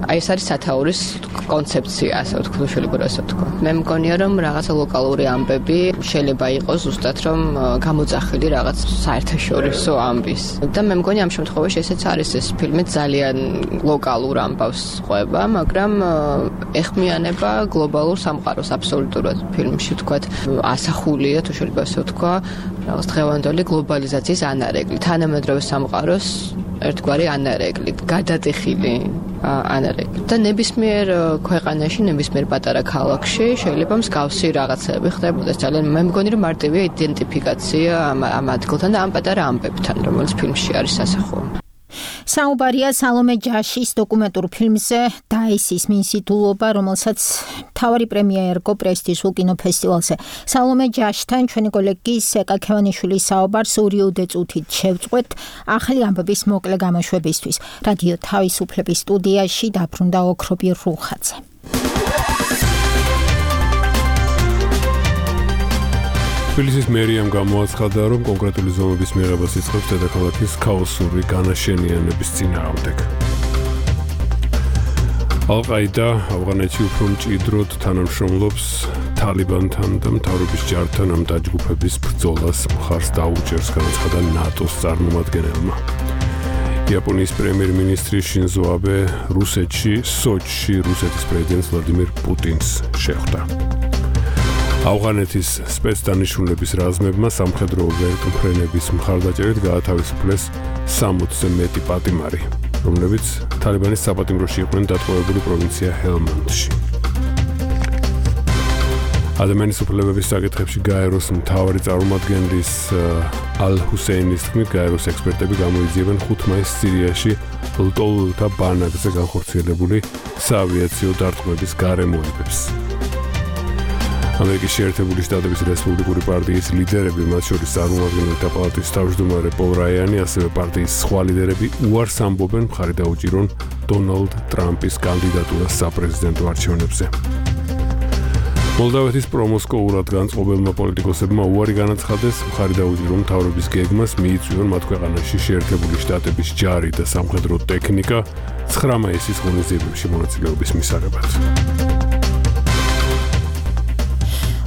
აი ეს არის სათაურის კონცეფცია, ასე ვთქვათ, შეიძლება ასე ვთქვათ. მე მგონია, რომ რაღაცა ლოკალური ამბები შეიძლება იყოს ზუსტად რომ გამოძახილი რაღაც საერთაშორისო ამბის. და მე მგონია ამ შემთხვევაში ესეც არის ეს ფილმი ძალიან ლოკალურ ამბავს ყვება, მაგრამ ეხმიანება აყენება გლობალურ სამყაროს აბსოლუტურად ფილმში თქვათ ასახულია თუ შეიძლება ასე ვთქვა რაღაც დღევანდელი გლობალიზაციის ანარეკლი თანამედროვე სამყაროს ერთგვარი ანარეკლი გადატეხილი ანარეკლი და ნებისმიერ ქვეყანაში ნებისმიერ პატარა ქალაქში შეიძლება მსგავსი რაღაცები ხდებოდეს ძალიან მე მგონი რომ მარტივია იდენტიფიკაცია ამ ადგილთან და ამ პატარა ამბებთან რომელიც ფილმში არის ასახული საუბარია სალომე ჯაშის დოკუმენტურ ფილმზე დაისის მინსიტულობა, რომელსაც მთავარი პრემია ერგო პრესტიჟულ კინოფესტივალზე. სალომე ჯაშთან ჩვენი კოლეგი სეკა ქევანიშვილის საუბარს 2 წუთით შევწყვეთ ახალი ამბების მოკლე გამოშვებისთვის. რადიო თავისუფლების სტუდიაში დაბრუნდა ოქრობი რუხაძე. თბილისის მერიამ გამოაცხადა, რომ კონკრეტული ზომების მიღებას იწყებს დედაქალაქის ქაოსური განაშენიანების წინააღმდეგ. ალ-ყაიდა ავღანეთში უფრო მჭიდროდ თანამშრომლობს თალიბანთან და მთავრობის ჯართან ამ დაჯგუფების ბრძოლას მხარს დაუჭერს, განაცხადა ნატოს წარმომადგენელმა. იაპონიის პრემიერ-მინისტრი შინზო აბე რუსეთში, სოჩში რუსეთის პრეზიდენტ ვლადიმირ პუტინს შეხვდა. ავღანეთის სპეცდანიშნულების რაზმებმა სამხედრო ვერტმფრენების მხარდაჭერით გაათავისუფლეს 60-ზე მეტი პატიმარი, რომლებიც თალიბანის საპატიმროში იყვნენ დატყვევებული პროვინცია ჰელმანდში. ადამიანის უფლებების საკითხებში გაეროს მთავარი წარმომადგენლის ალ-ჰუსეინის თქმით, გაეროს ექსპერტები გამოიძიებენ 5 მაისს სირიაში ლტოლვილთა ბანაკზე განხორციელებული საავიაციო დარტყმების გარემოებებს. ამერიკის შეერთებული შტატების რესპუბლიკური პარტიის ლიდერები, მათ შორის წარმომადგენელთა პალატის თავმჯდომარე პოლ რაიანი, ასევე პარტიის სხვა ლიდერები უარს ამბობენ მხარი დაუჭირონ დონალდ ტრამპის კანდიდატურას საპრეზიდენტო არჩევნებზე. მოლდავეთის პრომოსკოურად განწყობილმა პოლიტიკოსებმა უარი განაცხადეს მხარი დაუჭირონ მთავრობის გეგმას მიიწვიონ მათ ქვეყანაში შეერთებული შტატების ჯარი და სამხედრო ტექნიკა 9 მაისის ღონისძიებებში მონაწილეობის მისაღებად.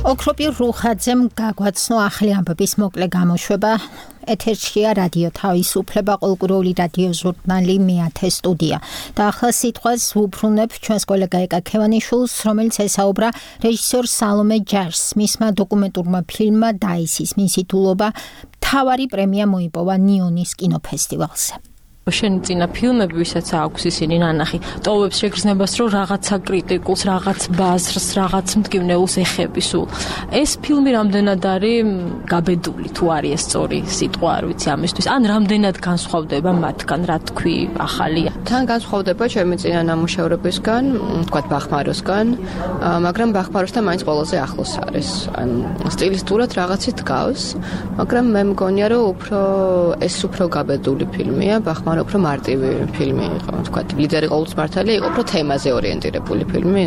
ოქრობი რუხაძემ გაგვაცნო ახალი ამბების მოკლე გამოშვება. ეთერშია რადიო თავისუფლება, ყოველკვირეული რადიო ჟურნალი მეათე სტუდია. და ახლა სიტყვას ვუბრუნებ ჩვენს კოლეგა ეკა ქევანიშვილს, რომელიც ესაუბრა რეჟისორ სალომე ჯაშს. მისმა დოკუმენტურმა ფილმმა დაისის მინსიტულობა მთავარი პრემია მოიპოვა ნიონის კინოფესტივალზე. შენი წინა ფილმები, ვისაც აქვს ისინი ნანახი, ტოვებს შეგრძნებას, რომ რაღაცა კრიტიკულს, რაღაც ბაზრს, რაღაც მტკივნეულს ეხები სულ. ეს ფილმი რამდენად არის გაბედული, თუ არის ეს სწორი სიტყვა, არ ვიცი ამისთვის, ან რამდენად განსხვავდება მათგან, რა თქვი, ახალია. თან განსხვავდება ჩემი წინა ნამუშევრებისგან, თქვათ ბახმაროსგან, მაგრამ ბახმაროსთან მაინც ყველაზე ახლოს არის. ან სტილისტურად რაღაცით გავს, მაგრამ მე მგონია, რომ ეს უფრო გაბედული ფილმია, ბახმარო უფრო მარტივი ფილმი იყო, თქვა, ლიდერი ყოველთვის მართალია, იყო უფრო თემაზე ორიენტირებული ფილმი,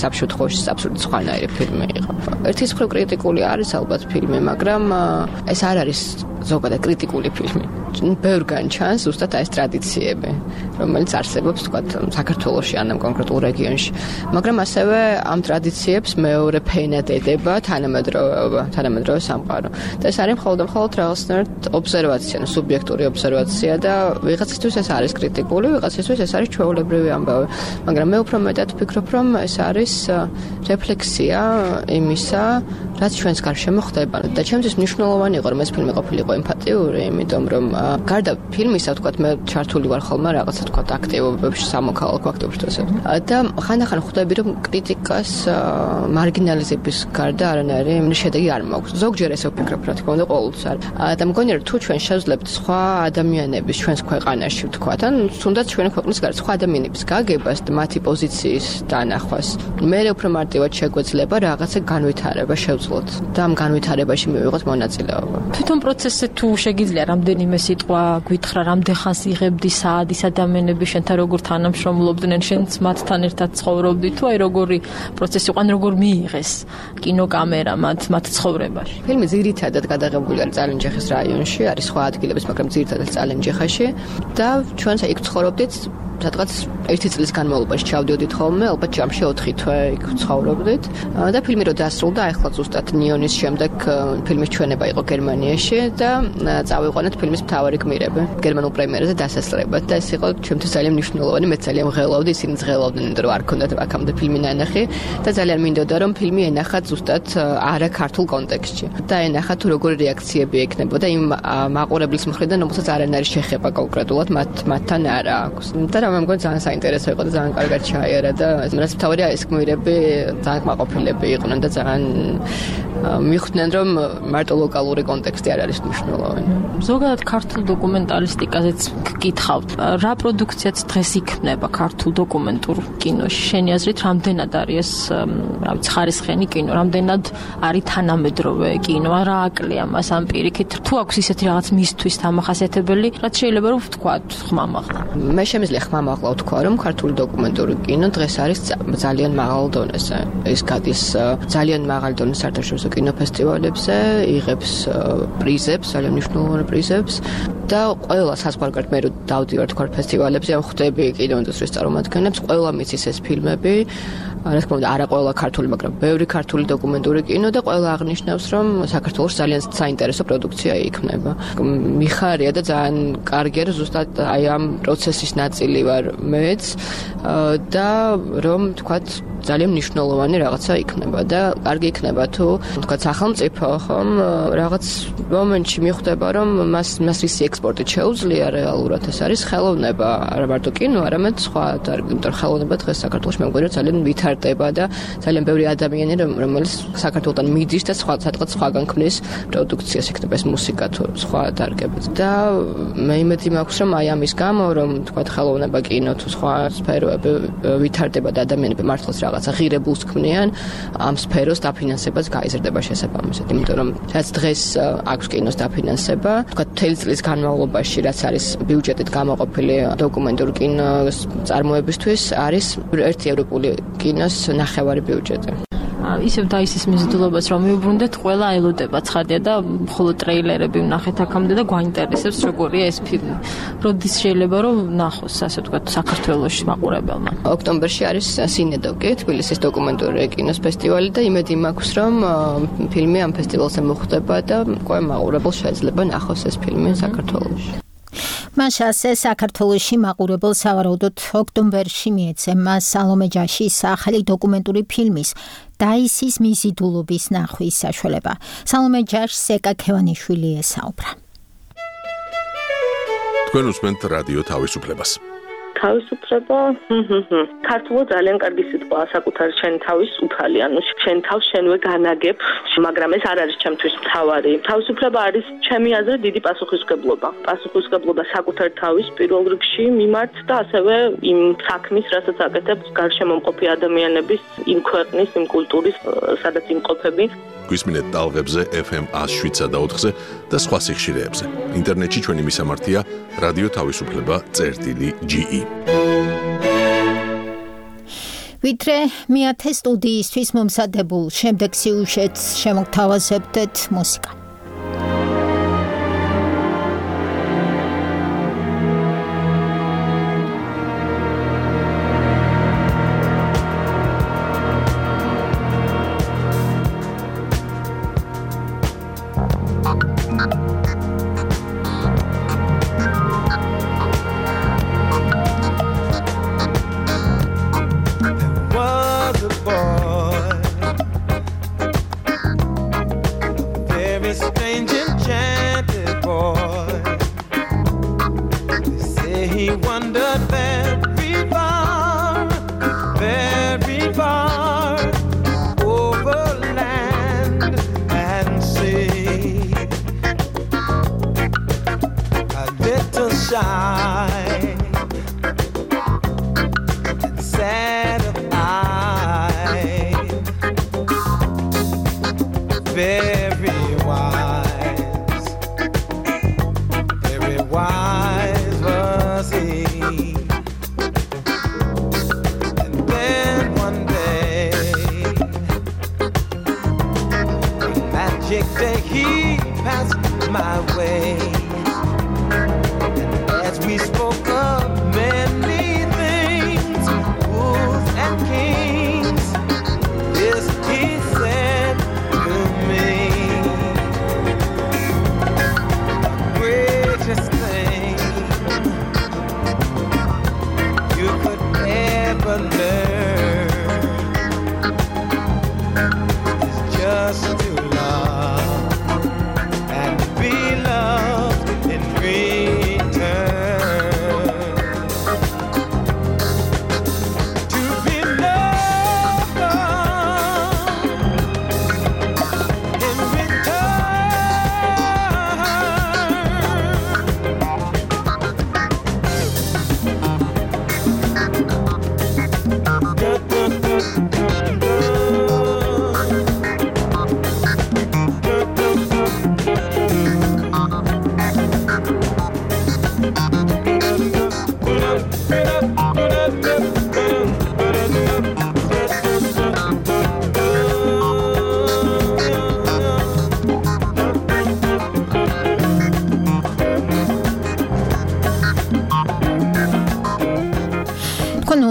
საბშუთ ხოშის აბსოლუტურად სხვანაირი ფილმი იყო. ერთის მხრივ კრიტიკული არის ალბათ ფილმი, მაგრამ ეს არ არის ზოგადად კრიტიკული ფილმი. ბევრგან ჩანს ზუსტად ეს ტრადიციები, რომელიც არსებობს, თქვა, საქართველოში ან ამ კონკრეტულ რეგიონში. მაგრამ ასევე ამ ტრადიციებს მეორე ფენად ედება თანამედროვე სამყარო. და ეს არის მხოლოდ რაღაცნაირად ობსერვაცია, სუბიექტური ობსერვაცია და ვიღაცისთვის ეს არის კრიტიკული, ვიღაცისთვის ეს არის ჩვეულებრივი ამბავი. მაგრამ მე უფრო მეტად ვფიქრობ, რომ ეს არის რეფლექსია იმისა, რაც ჩვენს გარშემო ხდება. და ჩემთვის მნიშვნელოვანი იყო, რომ ეს ფილმი ყოფილიყო ემფათიური, იმიტომ რომ გარდა ფილმისა, თქვა, მე ჩართული ვარ ხოლმე რაღაცა, თქვა, აქტივობებში, სამოქალაქო აქტივობებში. და ხანდახან ხვდები, რომ კრიტიკას მარგინალიზების გარდა არანაირი შედეგი არ მაქვს. ზოგჯერ ესე ვფიქრობ, რა თქმა უნდა, ყოველთვის არ. და მგონია, რომ თუ ჩვენ შევძლებთ სხვა ადამიანების ჩვენს ქვეყანაში, თქვა, ან თუნდაც ჩვენი ქვეყნის გარეთ სხვა ადამიანების გაგებას და მათი პოზიციის დანახვას, მე უფრო მარტივად შეგვეძლება რაღაცა განვითარება შევძლოთ და ამ განვითარებაში მივიღოთ მონაწილეობა. თვითონ პროცესზე თუ შეგიძლია რამდენიმე სიტყვა გვითხრა, რამდენ ხანს იღებდი საადის ადამიანები შენთან როგორ თანამშრომლობდნენ, შენც მათთან ერთად ცხოვრობდი, თუ აი როგორი პროცესი იყო, როგორ მიიღეს კინოკამერა მათ ცხოვრებაში. ფილმი ძირითადად გადაღებული არის წალენჯიხის რაიონში, არის სხვა ადგილების, მაგრამ ძირითადად წალენჯიხაში და ჩვენც იქ ცხოვრობდით სადღაც 1 წლის განმავლობაში ჩავდიოდით ხოლმე, ალბათ ჯამში 4 თვე იქ ცხოვრობდით. და ფილმი რო დასრულდა, ახლა ზუსტად ნიონის შემდეგ ფილმის ჩვენება იყო გერმანიაში და წავიყვანეთ ფილმის მთავარი გმირები გერმანულ პრემიერაზე დასასრულებლად და ეს იყო ჩემთვის ძალიან მნიშვნელოვანი, მე ძალიან ვღელავდი, ისინი ღელავდნენ, იმიტომ რომ არ ქონდათ აქამდე ფილმი ნანახი და ძალიან მინდოდა რომ ფილმი ენახათ ზუსტად არა ქართულ კონტექსტში და ენახათ თუ როგორი რეაქციები ექნებოდა იმ მაყურებლის მხრიდან, რომელსაც არანაირი შეხება კონკრეტულად მათთან არა აქვს. და რა მე მგონი ძალიან საინტერესო იყო და ძალიან კარგად ჩაიარა და რაც მთავარია ეს გმირები ძალიან კმაყოფილები იყვნენ და ძალიან მიხვდნენ რომ მარტო ლოკალური კონტექსტი არ არის მნიშვნელოვანი. ზოგადად ქართულ დოკუმენტალისტიკაზეც გკითხავთ, რა პროდუქციაც დღეს იქმნება ქართულ დოკუმენტურ კინოში? შენი აზრით, რამდენად არის ეს, რა ვიცი, ხარისხიანი კინო, რამდენად არის თანამედროვე კინო, რა აკლია მას ამ პირიქით? თუ აქვს ისეთი რაღაც მისთვის დამახასიათებელი, რაც შეიძლება რომ ვთქვათ, ხმამაღლა. მე შემიძლია ხმამაღლა ვთქვა, რომ ქართული დოკუმენტური კინო დღეს არის ძალიან მაღალ დონეზე. ის გადის ძალიან მაღალ დონეზე საერთაშორისო კინოფესტივალებზე, იღებს პრიზებს, ძალიან მნიშვნელოვან პრიზებს და ყველა საზღვარგარეთ მე რო დავდივარ თქვა ფესტივალებზე, ხვდები კინოინდუსტრიის წარმომადგენლებს, ყველა მიცის ეს ფილმები. რა თქმა უნდა, არა ყველა ქართული, მაგრამ ბევრი ქართული დოკუმენტური კინო და ყველა აღნიშნავს, რომ საქართველოს ძალიან საინტერესო პროდუქცია იქმნება. მიხარია და ძალიან კარგია, რომ ზუსტად აი ამ პროცესის ნაწილი ვარ მეც და რომ თქვათ ძალიან მნიშვნელოვანი რაღაცა იქნება და კარგი იქნება თუ თქვათ სახელმწიფო ხომ რაღაც მომენტში მიხვდება რომ მას ისი ექსპორტი შეუძლია რეალურად ეს არის ხელოვნება არა მარტო კინო არამედ სხვა იმიტომ რომ ხელოვნება დღეს საქართველოში მე მგონი რომ ძალიან ვითარდება და ძალიან ბევრი ადამიანი რომელიც საქართველოსთან მიდის და სადღაც სხვაგან ქმნის პროდუქციას იქნება ეს მუსიკა თუ სხვა დარგებით და მე იმედი მაქვს რომ აი ამის გამო რომ თქვათ ხელოვნება კინო თუ სხვა სფეროები ვითარდება და ადამიანები მართლაც რაღაცა ღირებულს ქმნიან ამ სფეროს დაფინანსებას გაიზრდება შესაბამისად იმიტომ რომ რაც დღეს აქვს კინოს დაფინანსება თქვა მთელი წლის განმავლობაში რაც არის ბიუჯეტით გამოყოფილი დოკუმენტური კინოს წარმოებისთვის არის ერთი ევროპული კინოს ნახევარი ბიუჯეტი ისევ დაისის მიზიდულობას რომ მიუბრუნდეთ ყველა ელოდება ცხადია და მხოლოდ ტრეილერები ვნახეთ აქამდე და გვაინტერესებს როგორია ეს ფილმი. როდის შეიძლება რომ ნახოს ასე ვთქვათ საქართველოში მაყურებელმა. ოქტომბერში არის სინედოკი, თბილისის დოკუმენტური კინოს ფესტივალი და იმედი მაქვს რომ ფილმი ამ ფესტივალზე მოხვდება და ყველა მაყურებელს შეიძლება ნახოს ეს ფილმი საქართველოში. მაშასე საქართველოში მაყურებელს სავარაუდოდ ოქტომბერში მიეცემა სალომე ჯაშის ახალი დოკუმენტური ფილმის დაისის მიზიდულობის ნახვის საშუალება. სალომე ჯაშს ეკა ქევანიშვილი ესაუბრა. თქვენ უსმენთ რადიო თავისუფლებას. თავისუფლება ქართულად ძალიან კარგი სიტყვაა საკუთარი შენ თავის უფალი ანუ შენ თავს შენვე განაგებ მაგრამ ეს არ არის ჩემთვის მთავარი თავისუფლება არის ჩემი აზრით დიდი პასუხისმგებლობა საკუთარ თავის პირველ რიგში მიმართ და ასევე იმ საქმის რასაც აკეთებს გარშემომყოფი ადამიანების იმ ქვეყნის იმ კულტურის სადაც იმყოფები გვისმინეთ ტალღებზე FM 107.4-ზე და სხვა სიხშირეებზე. ინტერნეტში ჩვენი მისამართია რადიო თავისუფლება.ge. ვიდრე მეათე სტუდიისთვის მომზადებულ შემდეგ სიუჟეტს შემოგთავაზებდეთ მუსიკა. My way, and as we spoke of many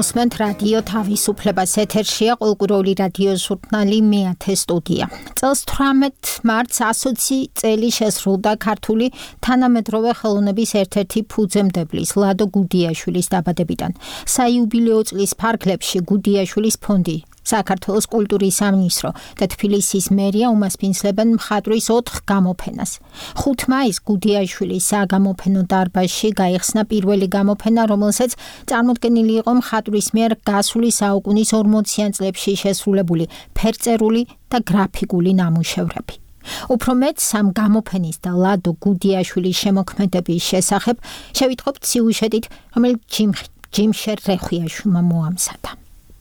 უსმენთ რადიო თავისუფლებას ეთერშია ყოველკვირეული რადიო ჟურნალი მეათე სტუდია. წელს 18 მარტს 120 წელი შესრულდა ქართული თანამედროვე ხელოვნების ერთ-ერთი ფუძემდებლის ლადო გუდიაშვილის დაბადებიდან. საიუბილეო წლის ფარგლებში გუდიაშვილის ფონდი, საქართველოს კულტურის სამინისტრო და თბილისის მერია უმასპინძლებენ მხატვრის 4 გამოფენას. 5 მაისს გუდიაშვილის საგამოფენო დარბაზში გაიხსნა პირველი გამოფენა, რომელსაც წარმოდგენილი იყო მხატვრის მიერ გასული საუკუნის 40-იან წლებში შესრულებული ფერწერული და გრაფიკული ნამუშევრები. უფრო მეტ სამ გამოფენის და ლადო გუდიაშვილის შემოქმედების შესახებ შევიტყობთ სიუჟეტით, რომელიც ჯიმშერ რეხვიაშვილმა მოამზადა.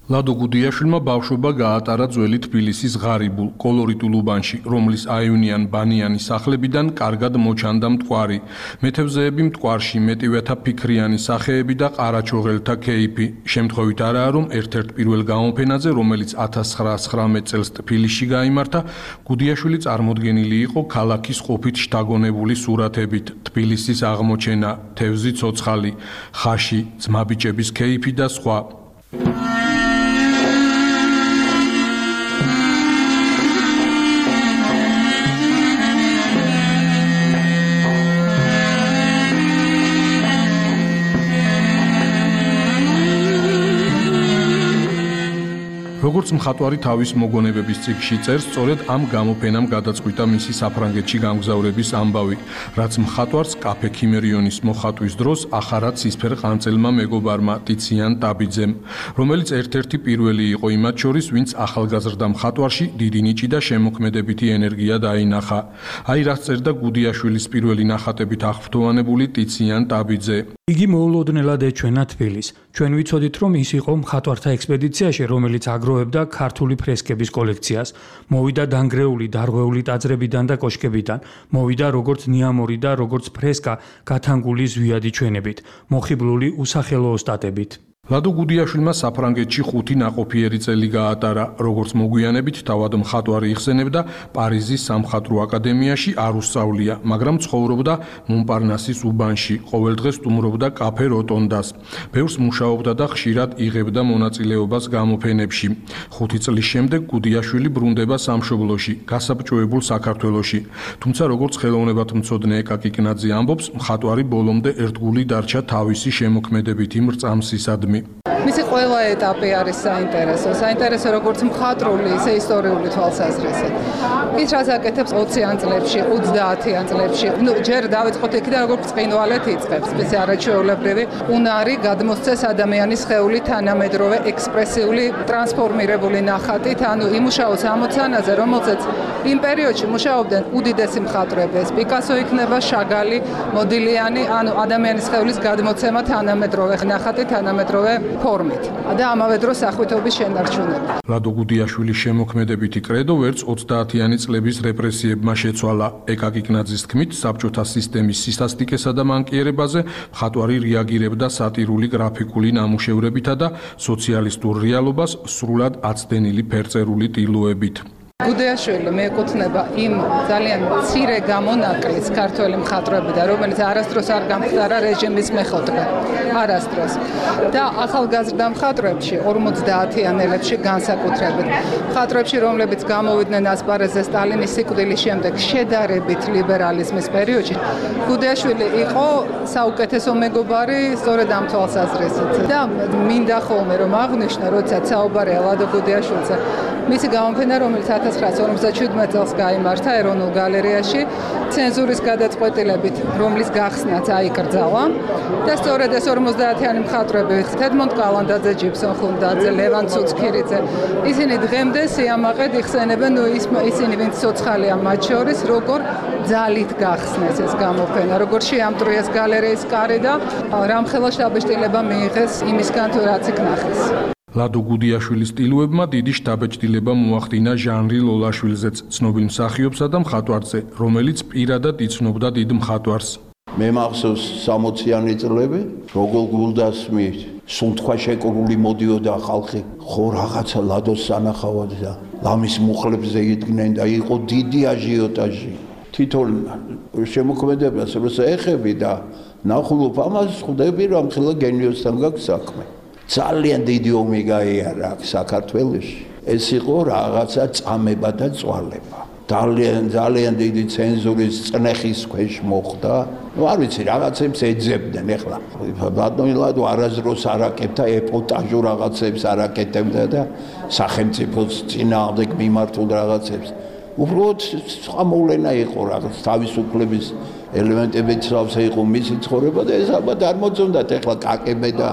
ლადო გუდიაშვილმა ბავშვობა გაატარა ძველი თბილისის ღარიბულ, კოლორიტულ უბანში, რომლის აივნიან ბანიანი სახლებიდან კარგად მოჩანდა მტკვარი. მეთევზეები მტკვარში, მეტივეთა ფიქრიანი სახეები და ყარაჩოღელთა ქეიფი. შემთხვევით არაა, რომ ერთ-ერთ პირველ გამოფენაზე, რომელიც 1919 წელს თბილისში გაიმართა, გუდიაშვილი წარმოდგენილი იყო ქალაქის ყოფით შთაგონებული სურათებით. თბილისის აღმოჩენა, თევზი ცოცხალი, ხაში, ძმაბიჭების ქეიფი და სხვა. როგორც მხატვარი თავის მოგონებების წიგნში წერს, სწორედ ამ გამოფენამ გადაწყვიტა მისი საფრანგეთში გამგზავრების ამბავი, რაც მხატვარს კაფე ქიმერიონის მოხატვის დროს ახარა ცისფერ ყანწელმა მეგობარმა ტიციან ტაბიძემ, რომელიც ერთ-ერთი პირველი იყო იმათ შორის, ვინც ახალგაზრდა მხატვარში დიდი ნიჭი და შემოქმედებითი ენერგია დაინახა. აი რაც წერდა გუდიაშვილის პირველი ნახატებით აღფრთოვანებული ტიციან ტაბიძე. იგი მოულოდნელად ეჩვენა თბილისს. ჩვენ ვიცოდით, რომ ის იყო მხატვართა ექსპედიციაში, რომელიც აგროვებდა ქართული ფრესკების კოლექციას. მოვიდა დანგრეული, დარღვეული ტაძრებიდან და კოშკებიდან. მოვიდა როგორც ნიამორი და როგორც ფრესკა გათანგული ზვიადი ჩვენებით, მოხიბლული უსახელო ოსტატებით. ლადო გუდიაშვილმა საფრანგეთში 5 ნაყოფიერი წელი გაატარა, როგორც მოგვიანებით თავად მხატვარი იხსენებდა, პარიზის სამხატვრო აკადემიაში არ უსწავლია, მაგრამ ცხოვრობდა მონპარნასის უბანში, ყოველდღე სტუმრობდა კაფე როტონდას. ბევრს მუშაობდა და ხშირად იღებდა მონაწილეობას გამოფენებში. 5 წლის შემდეგ გუდიაშვილი ბრუნდება სამშობლოში, გასაბჭოებულ საქართველოში. თუმცა როგორც ხელოვნებათმცოდნე ეკაკი კნაძე ამბობს, მხატვარი ბოლომდე ერთგული დარჩა თავისი შემოქმედებითი მრწამსისადმი. მისი ყველა ეტაპი არის საინტერესო. საინტერესო როგორც მხატვრული, ისე ისტორიული თვალსაზრისით. ის რაც აკეთებს 20-იან წლებში, 30-იან წლებში, ჯერ დავიწყოთ იქიდან, როგორც ბრწყინვალეთ იწყებს, ეს არაჩვეულებრივი უნარი გადმოსცეს ადამიანის სხეული თანამედროვე ექსპრესიული ტრანსფორმირებული ნახატით, ანუ იმუშაოს ამოცანაზე, რომელზეც იმ პერიოდში მუშაობდნენ უდიდესი მხატვრები, პიკასო იქნება, შაგალი, მოდილიანი, ანუ ადამიანის სხეულის გადმოცემა თანამედროვე ნახატით, თანამედროვე ფორმით და ამავე დროს სახვითობის შენარჩუნება. ლადო გუდიაშვილის შემოქმედებითი კრედო ვერც 30-იანი წლების რეპრესიებმა შეცვალა. ეკაკი კნაძის თქმით, საბჭოთა სისტემის სისასტიკესა და მანკიერებაზე მხატვარი რეაგირებდა სატირული გრაფიკული ნამუშევრებითა და სოციალისტურ რეალობას სრულად აცდენილი ფერწერული ტილოებით. გუდიაშვილი მიეკუთვნება იმ ძალიან მცირე გამონაკლისს ქართველი მხატვრებიდან, რომელიც არასდროს არ გამხდარა რეჟიმის მეხოთბე. არასდროს. და ახალგაზრდა მხატვრებში 50-იანელებში განსაკუთრებით. მხატვრებში, რომლებიც გამოვიდნენ ასპარეზზე სტალინის სიკვდილის შემდეგ შედარებით ლიბერალიზმის პერიოდში, გუდიაშვილი იყო საუკეთესო მეგობარი სწორედ ამ თვალსაზრისით. და მინდა ხოლმე რომ აღვნიშნო, როდესაც საუბარია ლადო გუდიაშვილზე, მისი გამოფენა, რომელიც 1957 წელს გაიმართა ეროვნულ გალერეაში, ცენზურის გადაწყვეტილებით, რომლის გახსნაც აიკრძალა და სწორედ ეს 50-იანი მხატვრები, ედმონდ კალანდაძე, ჯიბსონ ხუნდაძე, ლევან ცუცქირიძე, ისინი დღემდე სიამაყედ იხსენებენ, ისინი ვინც ცოცხალია მათ შორის, როგორ ძალით გახსნეს ეს გამოფენა, როგორ შეამტრიეს გალერეის კარი და რამხელა შთაბეჭდილება მიიღეს იმისგან, თუ რაც იქ ნახეს. ლადო გუდიაშვილის სტილოებმა დიდი შთაბეჭდილება მოახდინა ჟანრი ლოლაშვილზეც, ცნობილ მსახიობსა და მხატვარზე, რომელიც პირადად იცნობდა დიდ მხატვარს. მე მახსოვს 60-იანი წლები, როგორ გულდასმით, სუნთქვა შეკრული მოდიოდა ხალხი, ხო რაღაცა ლადოს სანახავად და ლამის მუხლებზე იდგნენ და იყო დიდი აჟიოტაჟი. თვითონ შემოქმედებას როცა ეხები და ნახულობ ამას, ხვდები რომ ხელა გენიოსთან გაქვს საქმე. ძალიან დიდი ომი გაიარა აქ საქართველოში. ეს იყო რაღაცა წამება და წვალება. ძალიან დიდი ცენზურის წნეხის ქვეშ მოხდა. არ ვიცი, რაღაცებს ეძებდნენ ეხლა. ბატონილადო არაზროს არაკეთდა ეპოტაჟურ რაღაცებს არაკეთებდა და სახელმწიფოს წინააღმდეგ მიმართულ რაღაცებს. უბრალოდ ამოვლენა იყო რაღაც თავისუფლების ელემენტებიც სავსე იყო მისი ცხოვრება და ეს ალბათ არ მოწონდათ ეხლა კაკებე და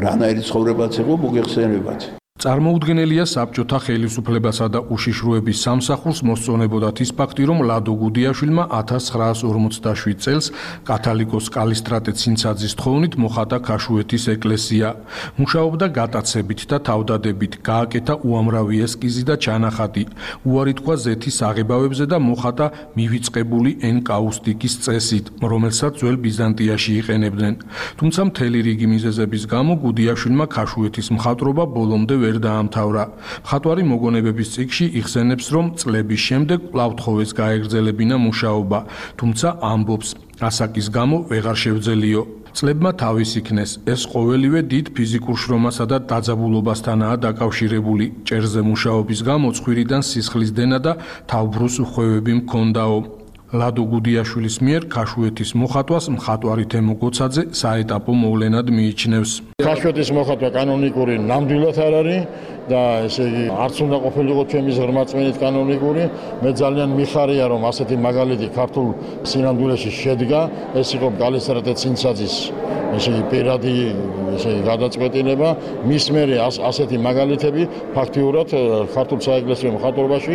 რანაირი ცხოვრებაც იყო მოგეხსენებათ. წარმოუდგენელია საბჭოთა ხელისუფლებასა და უშიშროების სამსახურს მოსწონებოდათ ის ფაქტი, რომ ლადო გუდიაშვილმა 1947 წელს კათალიკოს კალისტრატე ცინცაძის თხოვნით მოხატა ქაშუეთის ეკლესია. მუშაობდა გატაცებით და თავდადებით, გააკეთა უამრავი ესკიზი და ჩანახატი. უარი თქვა ზეთის აღებავებზე და მოხატა მივიწყებული ენკაუსტიკის წესით, რომელსაც ძველ ბიზანტიაში იყენებდნენ. თუმცა მთელი რიგი მიზეზების გამო გუდიაშვილმა ქაშუეთის მხატვრობა ბოლომდე ვერ დაამთავრა. მხატვარი მოგონებების წიგნში იხსენებს, რომ წლების შემდეგ კვლავ თხოვეს გაეგრძელებინა მუშაობა, თუმცა ამბობს, ასაკის გამო ვეღარ შევძელიო. წლებმა თავის იქნეს, ეს ყოველივე დიდ ფიზიკურ შრომასა და დაძაბულობასთანაა დაკავშირებული. ჭერზე მუშაობის გამო ცხვირიდან სისხლის დენა და თავბრუს ხვევები მქონდაო. ლადო გუდიაშვილის მიერ ქაშუეთის მოხატვას მხატვარი თემო გოცაძე საეტაპო მოვლენად მიიჩნევს. ქაშუეთის მოხატვა კანონიკური ნამდვილად არ არის და ესე იგი არც უნდა ყოფილიყო ჩემი ზრმაწმენით კანონიკური. მე ძალიან მიხარია რომ ასეთი მაგალითი ქართულ სინამდვილეში შედგა. ეს იყო კალისტრატე ცინცაძის ესე იგი პირადი ესე იგი გადაწყვეტილება. მის მერე ასეთი მაგალითები ფაქტიურად ქართულ საეკლესიო მხატვრობაში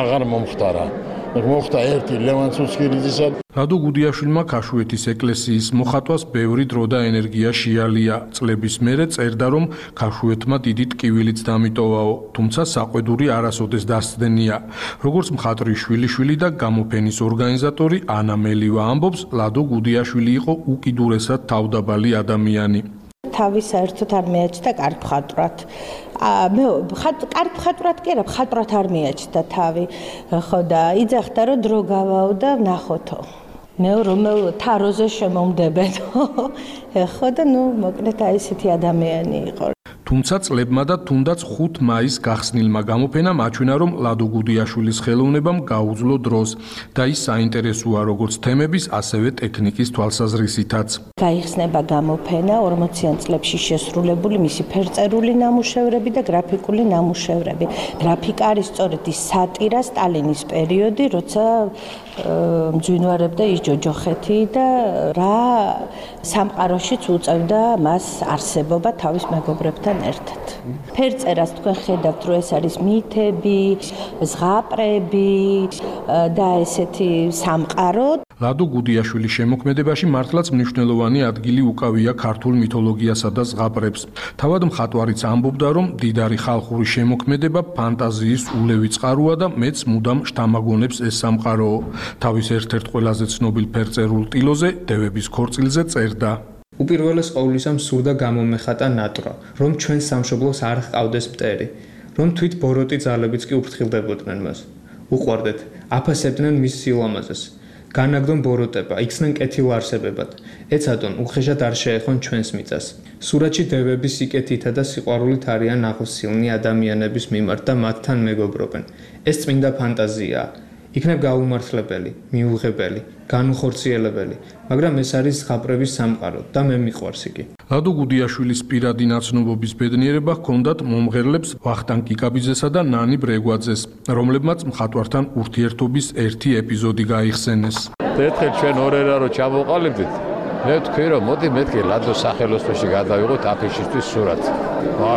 აღარ მომხდარა. მოხდა ერთი ლევან ცუცქირიძისა. ლადო გუდიაშვილმა ქაშუეთის ეკლესიის მოხატვას ბევრი დრო და ენერგია შეალია. წლების მერე წერდა, რომ ქაშუეთმა დიდი ტკივილიც დამიტოვაო, თუმცა საყვედური არასოდეს დასცდენია. როგორც მხატვრის შვილიშვილი და გამოფენის ორგანიზატორი ანა მელევა ამბობს, ლადო გუდიაშვილი იყო უკიდურესად თავდაბალი ადამიანი. თავის საერთოდ არ მეაჩნდა კარგ მხატვრად. კარგ მხატვრად კი არა, მხატვრად არ მეაჩნდა თავი. ხო და იძახდა რომ დრო გავაო და ნახოთო. მე რომელ თაროზე შემომდებენო. ხო და მოკლედ აი ესეთი ადამიანი იყო. თუმცა წლებმა და თუნდაც 5 მაისს გახსნილმა გამოფენამ აჩვენა, რომ ლადო გუდიაშვილის ხელოვნებამ გაუძლო დროს და ის საინტერესოა როგორც თემების, ასევე ტექნიკის თვალსაზრისითაც. გაიხსნება გამოფენა 40-იან წლებში შესრულებული მისი ფერწერული ნამუშევრები და გრაფიკული ნამუშევრები. გრაფიკა არის სწორედ ის სატირა სტალინის პერიოდი, როცა მძვინვარებდა ის ჯოჯოხეთი და რა სამყაროშიც უწევდა მას არსებობა თავის მეგობრებთან ერთად. ფერწერას თქვენ ხედავთ, რომ ეს არის მითები, ზღაპრები და ესეთი სამყარო. ლადო გუდიაშვილის შემოქმედებაში მართლაც მნიშვნელოვანი ადგილი უკავია ქართულ მითოლოგიასა და ზღაპრებს. თავად მხატვარიც ამბობდა, რომ დიდარი ხალხური შემოქმედება ფანტაზიის ულევი წყაროა და მეც მუდამ შთამაგონებს ეს სამყაროო. თავის ერთ-ერთ ყველაზე ცნობილ ფერწერულ ტილოზე, დევების ქორწილზე წერდა. უპირველეს ყოვლისა სურდა გამომეხატა ნატვრა, რომ ჩვენ სამშობლოს არ ჰყავდეს მტერი, რომ თვით ბოროტი ძალებიც კი უფრთხილდებოდნენ მას. უყვარდეთ, აფასებდნენ მის სილამაზეს. განაგდონ ბოროტება, იქცნენ კეთილარსებებად. ეცადონ, უხეშად არ შეეხონ ჩვენს მიწას. სურათში დევები სიკეთითა და სიყვარულით არიან აღოსილნი ადამიანების მიმართ და მათთან მეგობრობენ. ეს წმინდა ფანტაზიაა. იქნებ გაუმართლებელი, მიუღებელი, განუხორციელებელი, მაგრამ ეს არის ზღაპრების სამყარო და მე მიყვარს იგი. ლადო გუდიაშვილის პირადი ნაცნობობის ბედნიერება ჰქონდათ მომღერლებს ვახტანგ კიკაბიძესა და ნანი ბრეგვაძეს, რომლებმაც მხატვართან ურთიერთობის ერთი ეპიზოდი გაიხსენეს. ერთხელ ჩვენ ორერა რო ჩამოყალიბდით, მე ვთქვი რომ მოდი მეთქე ლადოს სახელოსნოში გადავიღოთ აფიშისთვის სურათი.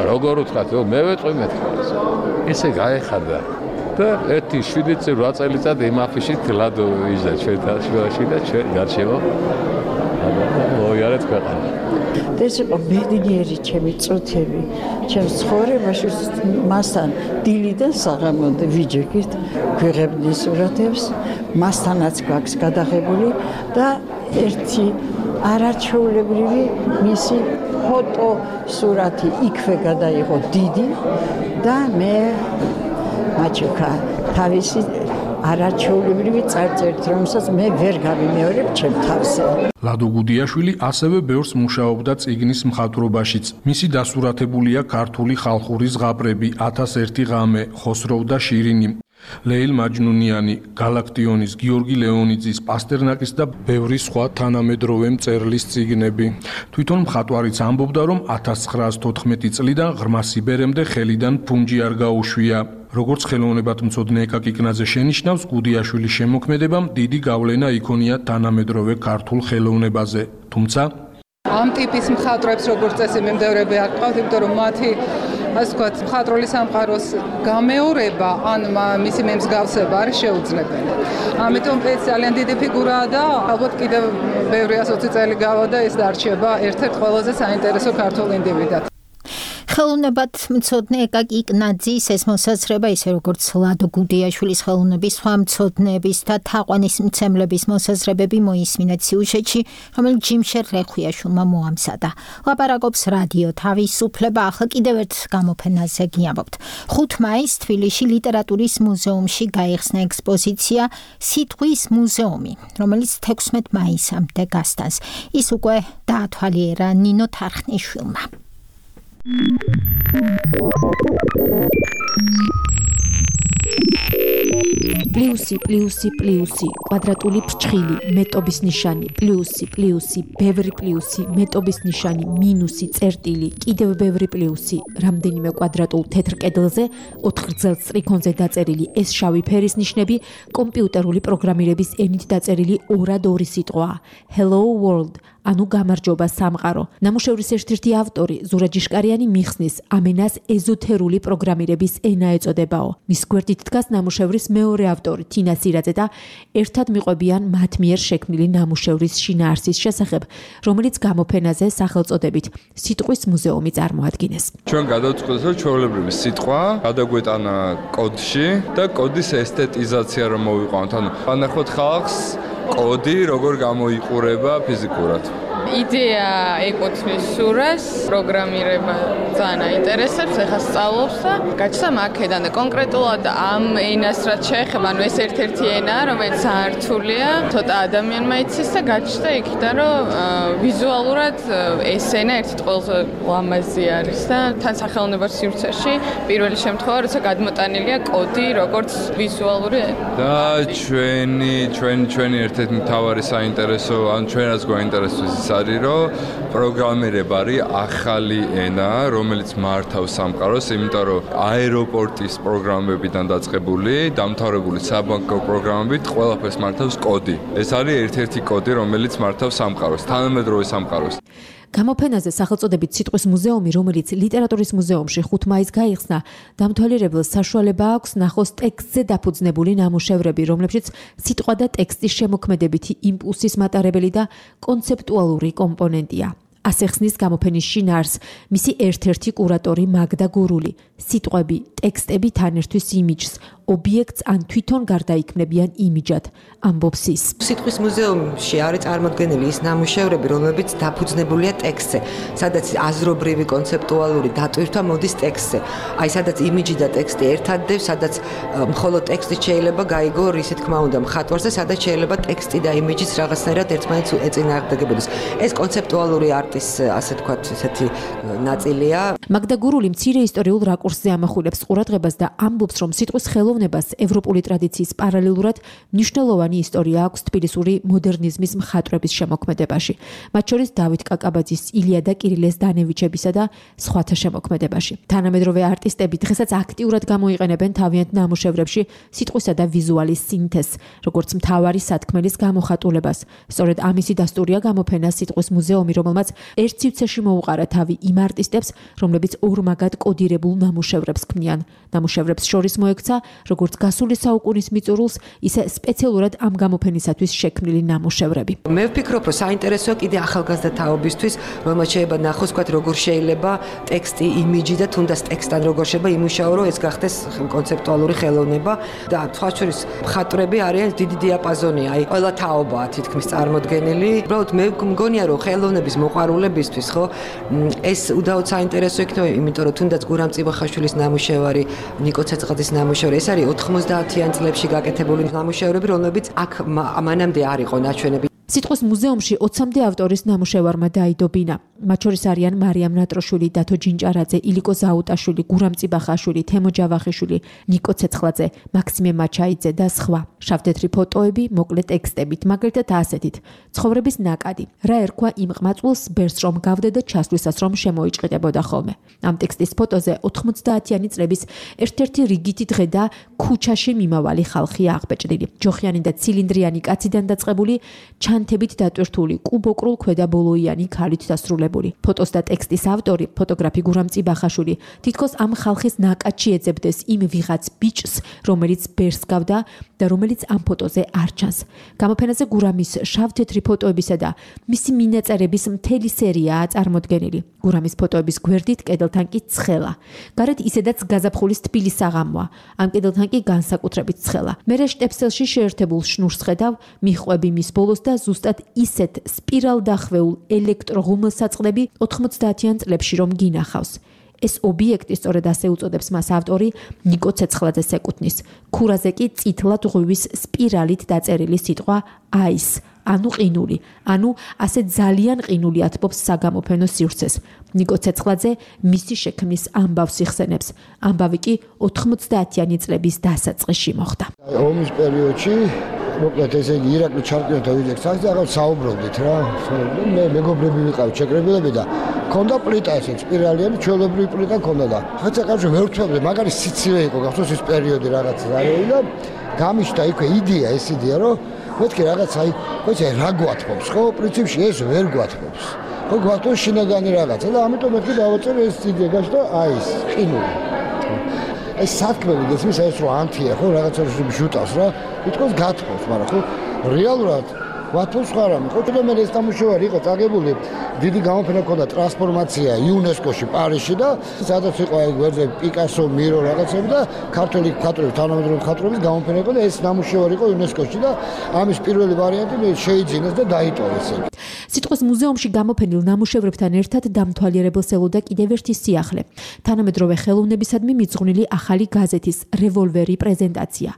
როგორ ვთქვათ, მე ვეთყვი მეთქე. ესე გაეხადა. და 7-8 წელიწად იმ აფიშით ლადო იჯდა ჩვენთან შუაში და ჩვენ გარშემო მოიარეთ ქვეყანა. და ეს იყო ბედნიერი ჩემი წუთები ჩემს ცხოვრებაში მასთან დილიდან საღამომდე ვიჯექით გვიღებდნენ სურათებს მასთანაც გვაქვს გადაღებული და ერთი არაჩვეულებრივი მისი ფოტო სურათი იქვე გადაიღო დიდი და მე მაჩუკა თავისი არაჩვეულებრივი წარწერით, რომელსაც მე ვერ გავიმეორებ ჩემ თავზე. ლადო გუდიაშვილი ასევე ბევრს მუშაობდა წიგნის მხატვრობაშიც. მისი დასურათებულია ქართული ხალხური ზღაპრები 1001 ღამე, ხოსროვ და შირინი. ლეილ მაჯნუნიანი, გალაქტიონის, გიორგი ლეონიძის, პასტერნაკის და ბევრი სხვა თანამედროვე მწერლის წიგნები. თვითონ მხატვარიც ამბობდა, რომ 1914 წლიდან ღრმა სიბერემდე ხელიდან ფუნჯი არ გაუშვია. როგორც ხელოვნებათმცოდნე ეკაკი კნაძე შენიშნავს, გუდიაშვილის შემოქმედებამ დიდი გავლენა იქონია თანამედროვე ქართულ ხელოვნებაზე. თუმცა ამ ტიპის მხატვრებს როგორც წესი მიმდევრები არ ყავთ, იმიტომ რომ მათი ასე ვთქვათ, მხატვრული სამყაროს გამეორება ან მისი მემსგავსება არის შეუძლებელი. ამიტომ ეს ძალიან დიდი ფიგურაა და ალბათ კიდევ ბევრი 120 წელი გავა და ეს დარჩება ერთ-ერთ ყველაზე საინტერესო ქართულ ინდივიდად. ხელოვნებად მცოდნე ეკაკი კნაძის ეს მოსაზრება ისე როგორც ლადო გუდიაშვილის ხელოვნების სხვა მცოდნეების და თაყვანის მცემლების მოსაზრებები მოისმინეთ სიუჟეტში, რომელიც ჯიმშერ რეხვიაშვილმა მოამზადა. ლაპარაკობს რადიო თავისუფლება, ახლა კიდევ ერთ გამოფენაზე გიამბობთ. 5 მაისს თბილისში ლიტერატურის მუზეუმში გაიხსნა ექსპოზიცია სიტყვის მუზეუმი, რომელიც 16 მაისამდე გასტანს. ის უკვე დაათვალიერა ნინო თარხნიშვილმა. პლუსი, პლუსი, პლუსი, კვადრატული ფრჩხილი, მეტობის ნიშანი, პლუსი, პლუსი, ბევრი პლუსი, მეტობის ნიშანი, მინუსი, წერტილი, კიდევ ბევრი პლუსი, რამდენიმე კვადრატულ თეთრ კედელზე, 4 გრძელ სტრიქონზე დაწერილი ეს შავი ფერის ნიშნები კომპიუტერული პროგრამირების ენით დაწერილი 2 სიტყვაა. Hello world. ანუ გამარჯობა სამყარო. ნამუშევრის ერთ-ერთი ავტორი ზურა ჯიშკარიანი მიხსნის ამ ენას ეზოთერული პროგრამირების ენა ეწოდებაო. მის გვერდით დგას ნამუშევრის მეორე ავტორი თინა სირაძე და ერთად მიყვებიან მათ მიერ შექმნილი ნამუშევრის შინაარსის შესახებ, რომელიც გამოფენაზე სახელწოდებით სიტყვის მუზეუმი წარმოადგენს. ჩვენ გადავწყვეტთ, რომ ჩვეულებრივი სიტყვა გადაგვეტანა კოდში და კოდის ესთეტიზაცია რომ მოვიყვანოთ. ანუ ვანახოთ ხალხს კოდი როგორ გამოიყურება ფიზიკურად. იდეა ეკუთვნის სურას, პროგრამირება ძალიან აინტერესებს, ეხლა სწავლობს და გაჩნდა აქედან და კონკრეტულად ამ ენას რაც შეეხება, ანუ ეს ერთ-ერთი ენაა, რომელიც საერთულია, ცოტა ადამიანმა იცის და გაჩნდა იქიდან, რომ ვიზუალურად ეს ენა ერთ-ერთი ყველაზე ლამაზი არის და თან სახელოვნებრივ სივრცეში პირველი შემთხვევა, როცა გადმოტანილია კოდი როგორც ვიზუალური ენა. და ჩვენი ერთ-ერთი მთავარი საინტერესო, ან ჩვენ რაც გვაინტერესებს ის არის, რომ პროგრამირება არის ახალი ენა, რომელიც მართავს სამყაროს, იმიტომ რომ აეროპორტის პროგრამებიდან დაწყებული, დამთავრებული საბანკო პროგრამებით ყველაფერს მართავს კოდი. ეს არის ერთ-ერთი კოდი, რომელიც მართავს სამყაროს, თანამედროვე სამყაროს. გამოფენაზე სახელწოდებით სიტყვის მუზეუმი, რომელიც ლიტერატურის მუზეუმში 5 მაისს გაიხსნა, დამთვალიერებელს საშუალება აქვს ნახოს ტექსტზე დაფუძნებული ნამუშევრები, რომლებშიც სიტყვა და ტექსტის შემოქმედებითი იმპულსის მატარებელი და კონცეპტუალური კომპონენტია. ასე ხსნის გამოფენის შინაარსს მისი ერთ-ერთი კურატორი მაგდა გურული. სიტყვები, ტექსტები თან ერთვის იმიჯს, ობიექტს ან თვითონ გარდაიქმნებიან იმიჯად, ამბობს ის. სიტყვის მუზეუმში არის წარმოდგენილი ის ნამუშევრები, რომლებიც დაფუძნებულია ტექსტზე, სადაც აზრობრივი კონცეპტუალური დატვირთვა მოდის ტექსტზე. აი, სადაც იმიჯი და ტექსტი ერთადდებს, სადაც მხოლოდ ტექსტი შეიძლება გაიგო, ისე თქმა უნდა, მხატვარზე, სადაც შეიძლება ტექსტი და იმიჯიც რაღაცნაირად ერთმანეთს ეწინააღმდეგებოდეს. ეს კონცეპტუალური არტის, ასე თქვათ, ესეთი ნაწილია. მაგდა გურული მცირე ისტორიულ რაკურსზე ამახვილებს ყურადღებას და ამბობს, რომ სიტყვის ხელოვნებას ევროპული ტრადიციის პარალელურად მნიშვნელოვანი ისტორია აქვს თბილისური მოდერნიზმის მხატვრების შემოქმედებაში, მათ შორის დავით კაკაბაძის, ილია და კირილეს დანევიჩებისა და სხვათა შემოქმედებაში. თანამედროვე არტისტები დღესაც აქტიურად გამოიყენებენ თავიანთ ნამუშევრებში სიტყვისა და ვიზუალის სინთეზს, როგორც მთავარი სათქმელის გამოხატულებას. სწორედ ამისი დასტურია გამოფენა სიტყვის მუზეუმი, რომელმაც ერთ სივრცეში მოუყარა თავი იმ არტისტებს, რომლებიც რომლებიც ორმაგად კოდირებულ ნამუშევრებს ქმნიან. ნამუშევრებს შორის მოექცა როგორც გასული საუკუნის მიწურულს, ისე სპეციალურად ამ გამოფენისათვის შექმნილი ნამუშევრები. მე ვფიქრობ, რომ საინტერესოა კიდე ახალგაზრდა თაობისთვის, რომელმაც შეიძლება ნახოს, თქვათ, როგორ შეიძლება ტექსტი, იმიჯი და თუნდაც ტექსტთან როგორ შეიძლება იმუშაო, რომ ეს გახდეს კონცეპტუალური ხელოვნება და სხვა შორის მხატვრები არიან დიდი დიაპაზონია, აი ყველა თაობაა თითქმის წარმოდგენილი. უბრალოდ მე მგონია, რომ ხელოვნების მოყვარულებისთვის, ხო, ეს უდაოდ საინტერესო იქნება, იმიტომ რომ თუნდაც გურამ წიბახაშვილის ნამუშევარი, ნიკო ცეცხლაძის ნამუშევარი, ეს არის 90-იან წლებში გაკეთებული ნამუშევრები, რომლებიც აქ მანამდე არ იყო ნაჩვენები. სიტყვის მუზეუმში 20-მდე ავტორის ნამუშევარმა დაიდო ბინა. მათ შორის არიან მარიამ ნატროშვილი, დათო ჯინჭარაძე, ილიკო ზაუტაშვილი, გურამ წიბახაშვილი, თემო ჯავახიშვილი, ნიკო ცეცხლაძე, მაქსიმე მაჩაიძე და სხვა. შავთეთრი ფოტოები, მოკლე ტექსტებით, მაგალითად ასეთით: ცხოვრების ნაკადი. რა ერქვა იმ ყმაწვილს, ბერს რომ გავდე და ჩასვლისას რომ შემოიჭყიდებოდა ხოლმე. ამ ტექსტის ფოტოზე 90-იანი წლების ერთ-ერთი რიგითი დღე და ქუჩაში მიმავალი ხალხია აღბეჭდილი. ჯოხიანი და ცილინდრიანი კაციდან დაწყებული, ჩანთებით დატვირთული, კუბოკრულ ქვედაბოლოიანი ქალით დასრულებული. ფოტოს და ტექსტის ავტორი, ფოტოგრაფი გურამ წიბახაშვილი, თითქოს ამ ხალხის ნაკადში ეძებდეს იმ ვიღაც ბიჭს, რომელიც ბერს გავდა და რომელიც ამ ფოტოზე არ ჩანს. გამოფენაზე გურამის შავთეთრი ფოტოებისა და მისი მინაწერების მთელი სერიაა წარმოდგენილი. გურამის ფოტოების გვერდით კედელთან კი ცხელა. გარეთ ისედაც გაზაფხულის თბილი საღამოა. ამ კედელთან კი განსაკუთრებით ცხელა. მერე შტეფსელში შეერთებულ შნურს ხედავ, მიხვები მის ბოლოს და ზუსტად ისეთ სპირალდახვეულ ელექტროღუმელსაწყლები 90-იან წლებში რომ გინახავს. ეს ობიექტი სწორედ ასე უწოდებს მას ავტორი ნიკო ცეცხლაძეს ეკუთვნის. ქურაზე კი წითლად ღვივის სპირალით დაწერილი სიტყვა აის, ანუ ყინული, ანუ ასე ძალიან ყინული ათბობს საგამოფენო სივრცეს. ნიკო ცეცხლაძე მისი შექმნის ამბავს იხსენებს. ამბავი კი 90-იანი წლების დასაწყისში მოხდა. ომის პერიოდში მოკლედ ესე იგი ირაკლი ჩარკვიოთ ავიძექს და რაღაც საუბრობდით რა. მე მეგობრები ვიყავით შეკრებილები და ქონდა პლიტა ესე სპირალიანი ჩვეულებრივი პლიტა ქონდა და ხაცა კავშირი ვერ ვთქვამდი, მაგარი სიცივე იყო გახსოვს ის პერიოდი რაღაც არის და გამიშთა იქვე იდეა ეს იდეა რომ მეთქი რაღაც აი ხოცა რა გვათბობს ხო პრინციპში ეს ვერ გვათბობს. ხო გვათბობს შინაგანი რაღაცა და ამიტომ მეთქი დავაწერე ეს იდეა და აი ეს ყინული. ეს საქმე გესმის ეს რო ანთია ხო რაღაცა ჟუტავს რა თვითონ გათხოვს მაგრამ ხო რეალურად ვათოს ხარ ამი ხო და მე ეს ნამუშევარი იყო წაგებული დიდი გამოფენა ქონდა ტრანსფორმაცია იუნესკოში პარიზში და სადაც იყო აი გვერდზე პიკასო მირო რაღაცები და ქართული მხატვრების თანამედროვე მხატვრების გამოფენა იყო და ეს ნამუშევარი იყო იუნესკოში და ამის პირველი ვარიანტი შეიძინეს და დაიტოვეს. სიტყვის მუზეუმში გამოფენილ ნამუშევრებთან ერთად დამთვალიერებელს ელოდა კიდევ ერთი სიახლე. თანამედროვე ხელოვნებისადმი მიძღვნილი ახალი გაზეთის რევოლვერი პრეზენტაცია.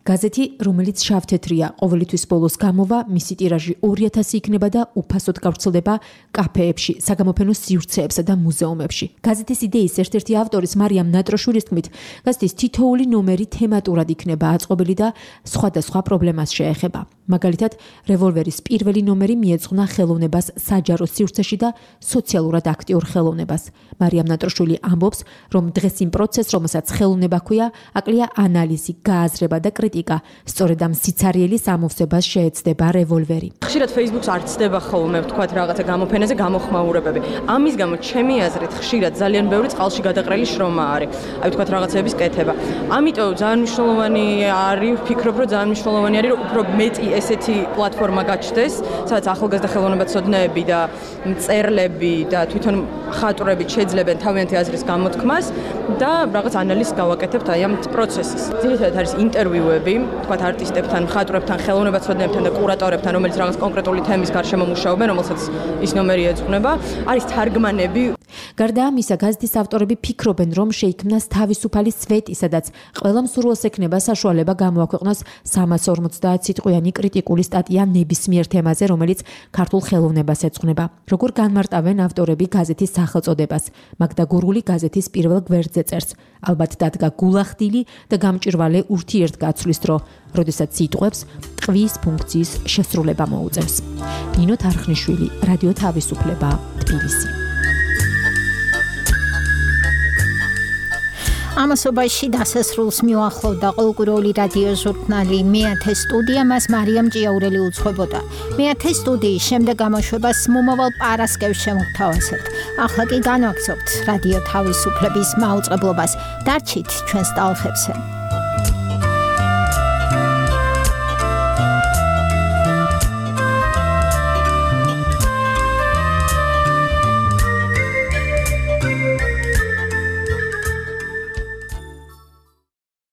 გაზეთი, რომელიც შავთეთრია, ყოველთვის ბოლოს გამოვა, მისი ტირაჟი 2000 იქნება და უფასოდ გავრცელდება კაფეებში, საგამოფენო სივრცეებსა და მუზეუმებში. გაზეთის იდეის ერთ-ერთი ავტორის მარიამ ნატროშვილის თქმით, გაზეთის თითოეული ნომერი თემატურად იქნება აწყობილი და სხვადასხვა პრობლემას შეეხება. მაგალითად, რევოლვერის პირველი ნომერი მიეძღვნა ხელოვნებას საჯარო სივრცეში და სოციალურად აქტიურ ხელოვნებას. მარიამ ნატროშვილი ამბობს, რომ დღეს იმ პროცესს, რომელსაც ხელოვნება ჰქვია, აკლია ანალიზი, გააზრება და კრიტიკა. სწორედ ამ სიცარიელის ამოვსებას შეეცდება რევოლვერი. ხშირად Facebook-ს არ ცდება ხოლმე, ვთქვათ, რაღაცა გამოფენაზე გამოხმაურებები. ამის გამო ჩემი აზრით ხშირად ძალიან ბევრი წყალში გადაყრელი შრომა არის. აი ვთქვათ რაღაცების კეთება. ამიტომ ძალიან მნიშვნელოვანი არის, ვფიქრობ, რომ ძალიან მნიშვნელოვანი არის, რომ უფრო მეტი ესეთი პლატფორმა გაჩნდეს, სადაც ახალგაზრდა ხელოვნებაცოდნეები და მწერლები და თვითონ მხატვრები შეძლებენ თავიანთი აზრის გამოთქმას და რაღაც ანალიზს გავაკეთებთ აი ამ პროცესის. ძირითადად არის ინტერვიუები, ვთქვათ, არტისტებთან, მხატვრებთან, ხელოვნებაცოდნეებთან და კურატორებთან, რომელიც რაღაც კონკრეტული თემის გარშემო მუშაობენ, რომელსაც ის ნომერი ეძღვნება. არის თარგმანები. გარდა ამისა, გაზეთის ავტორები ფიქრობენ, რომ შეიქმნას თავისუფალი სვეტი, სადაც ყველა მსურველს ექნება საშუალება გამოაქვეყნოს 350 სიტყვიანი კრიტიკული სტატია ნებისმიერ თემაზე, რომელიც ქართულ ხელოვნებას ეძღვნება. როგორ განმარტავენ ავტორები გაზეთის სახელწოდებას? მაგდა გურული გაზეთის პირველ გვერდზე წერს. ალბათ დადგა გულახდილი და გამჭირვალე ურთიერთგაცვლის დრო, როდესაც სიტყვებს ტყვის ფუნქციის შესრულება მოუწევს. ნინო თარხნიშვილი, რადიო თავისუფლება, თბილისი. ამასობაში დასასრულს მიუახლოვდა ყოველკვირეული რადიო ჟურნალი მეათე სტუდია, მას მარიამ ჭიაურელი უძღვებოდა. მეათე სტუდიის შემდეგ გამოშვებას მომავალ პარასკევს შემოგთავაზებთ. ახლა კი განვაგრძობთ რადიო თავისუფლების მაუწყებლობას. დარჩით ჩვენს ტალღებზე.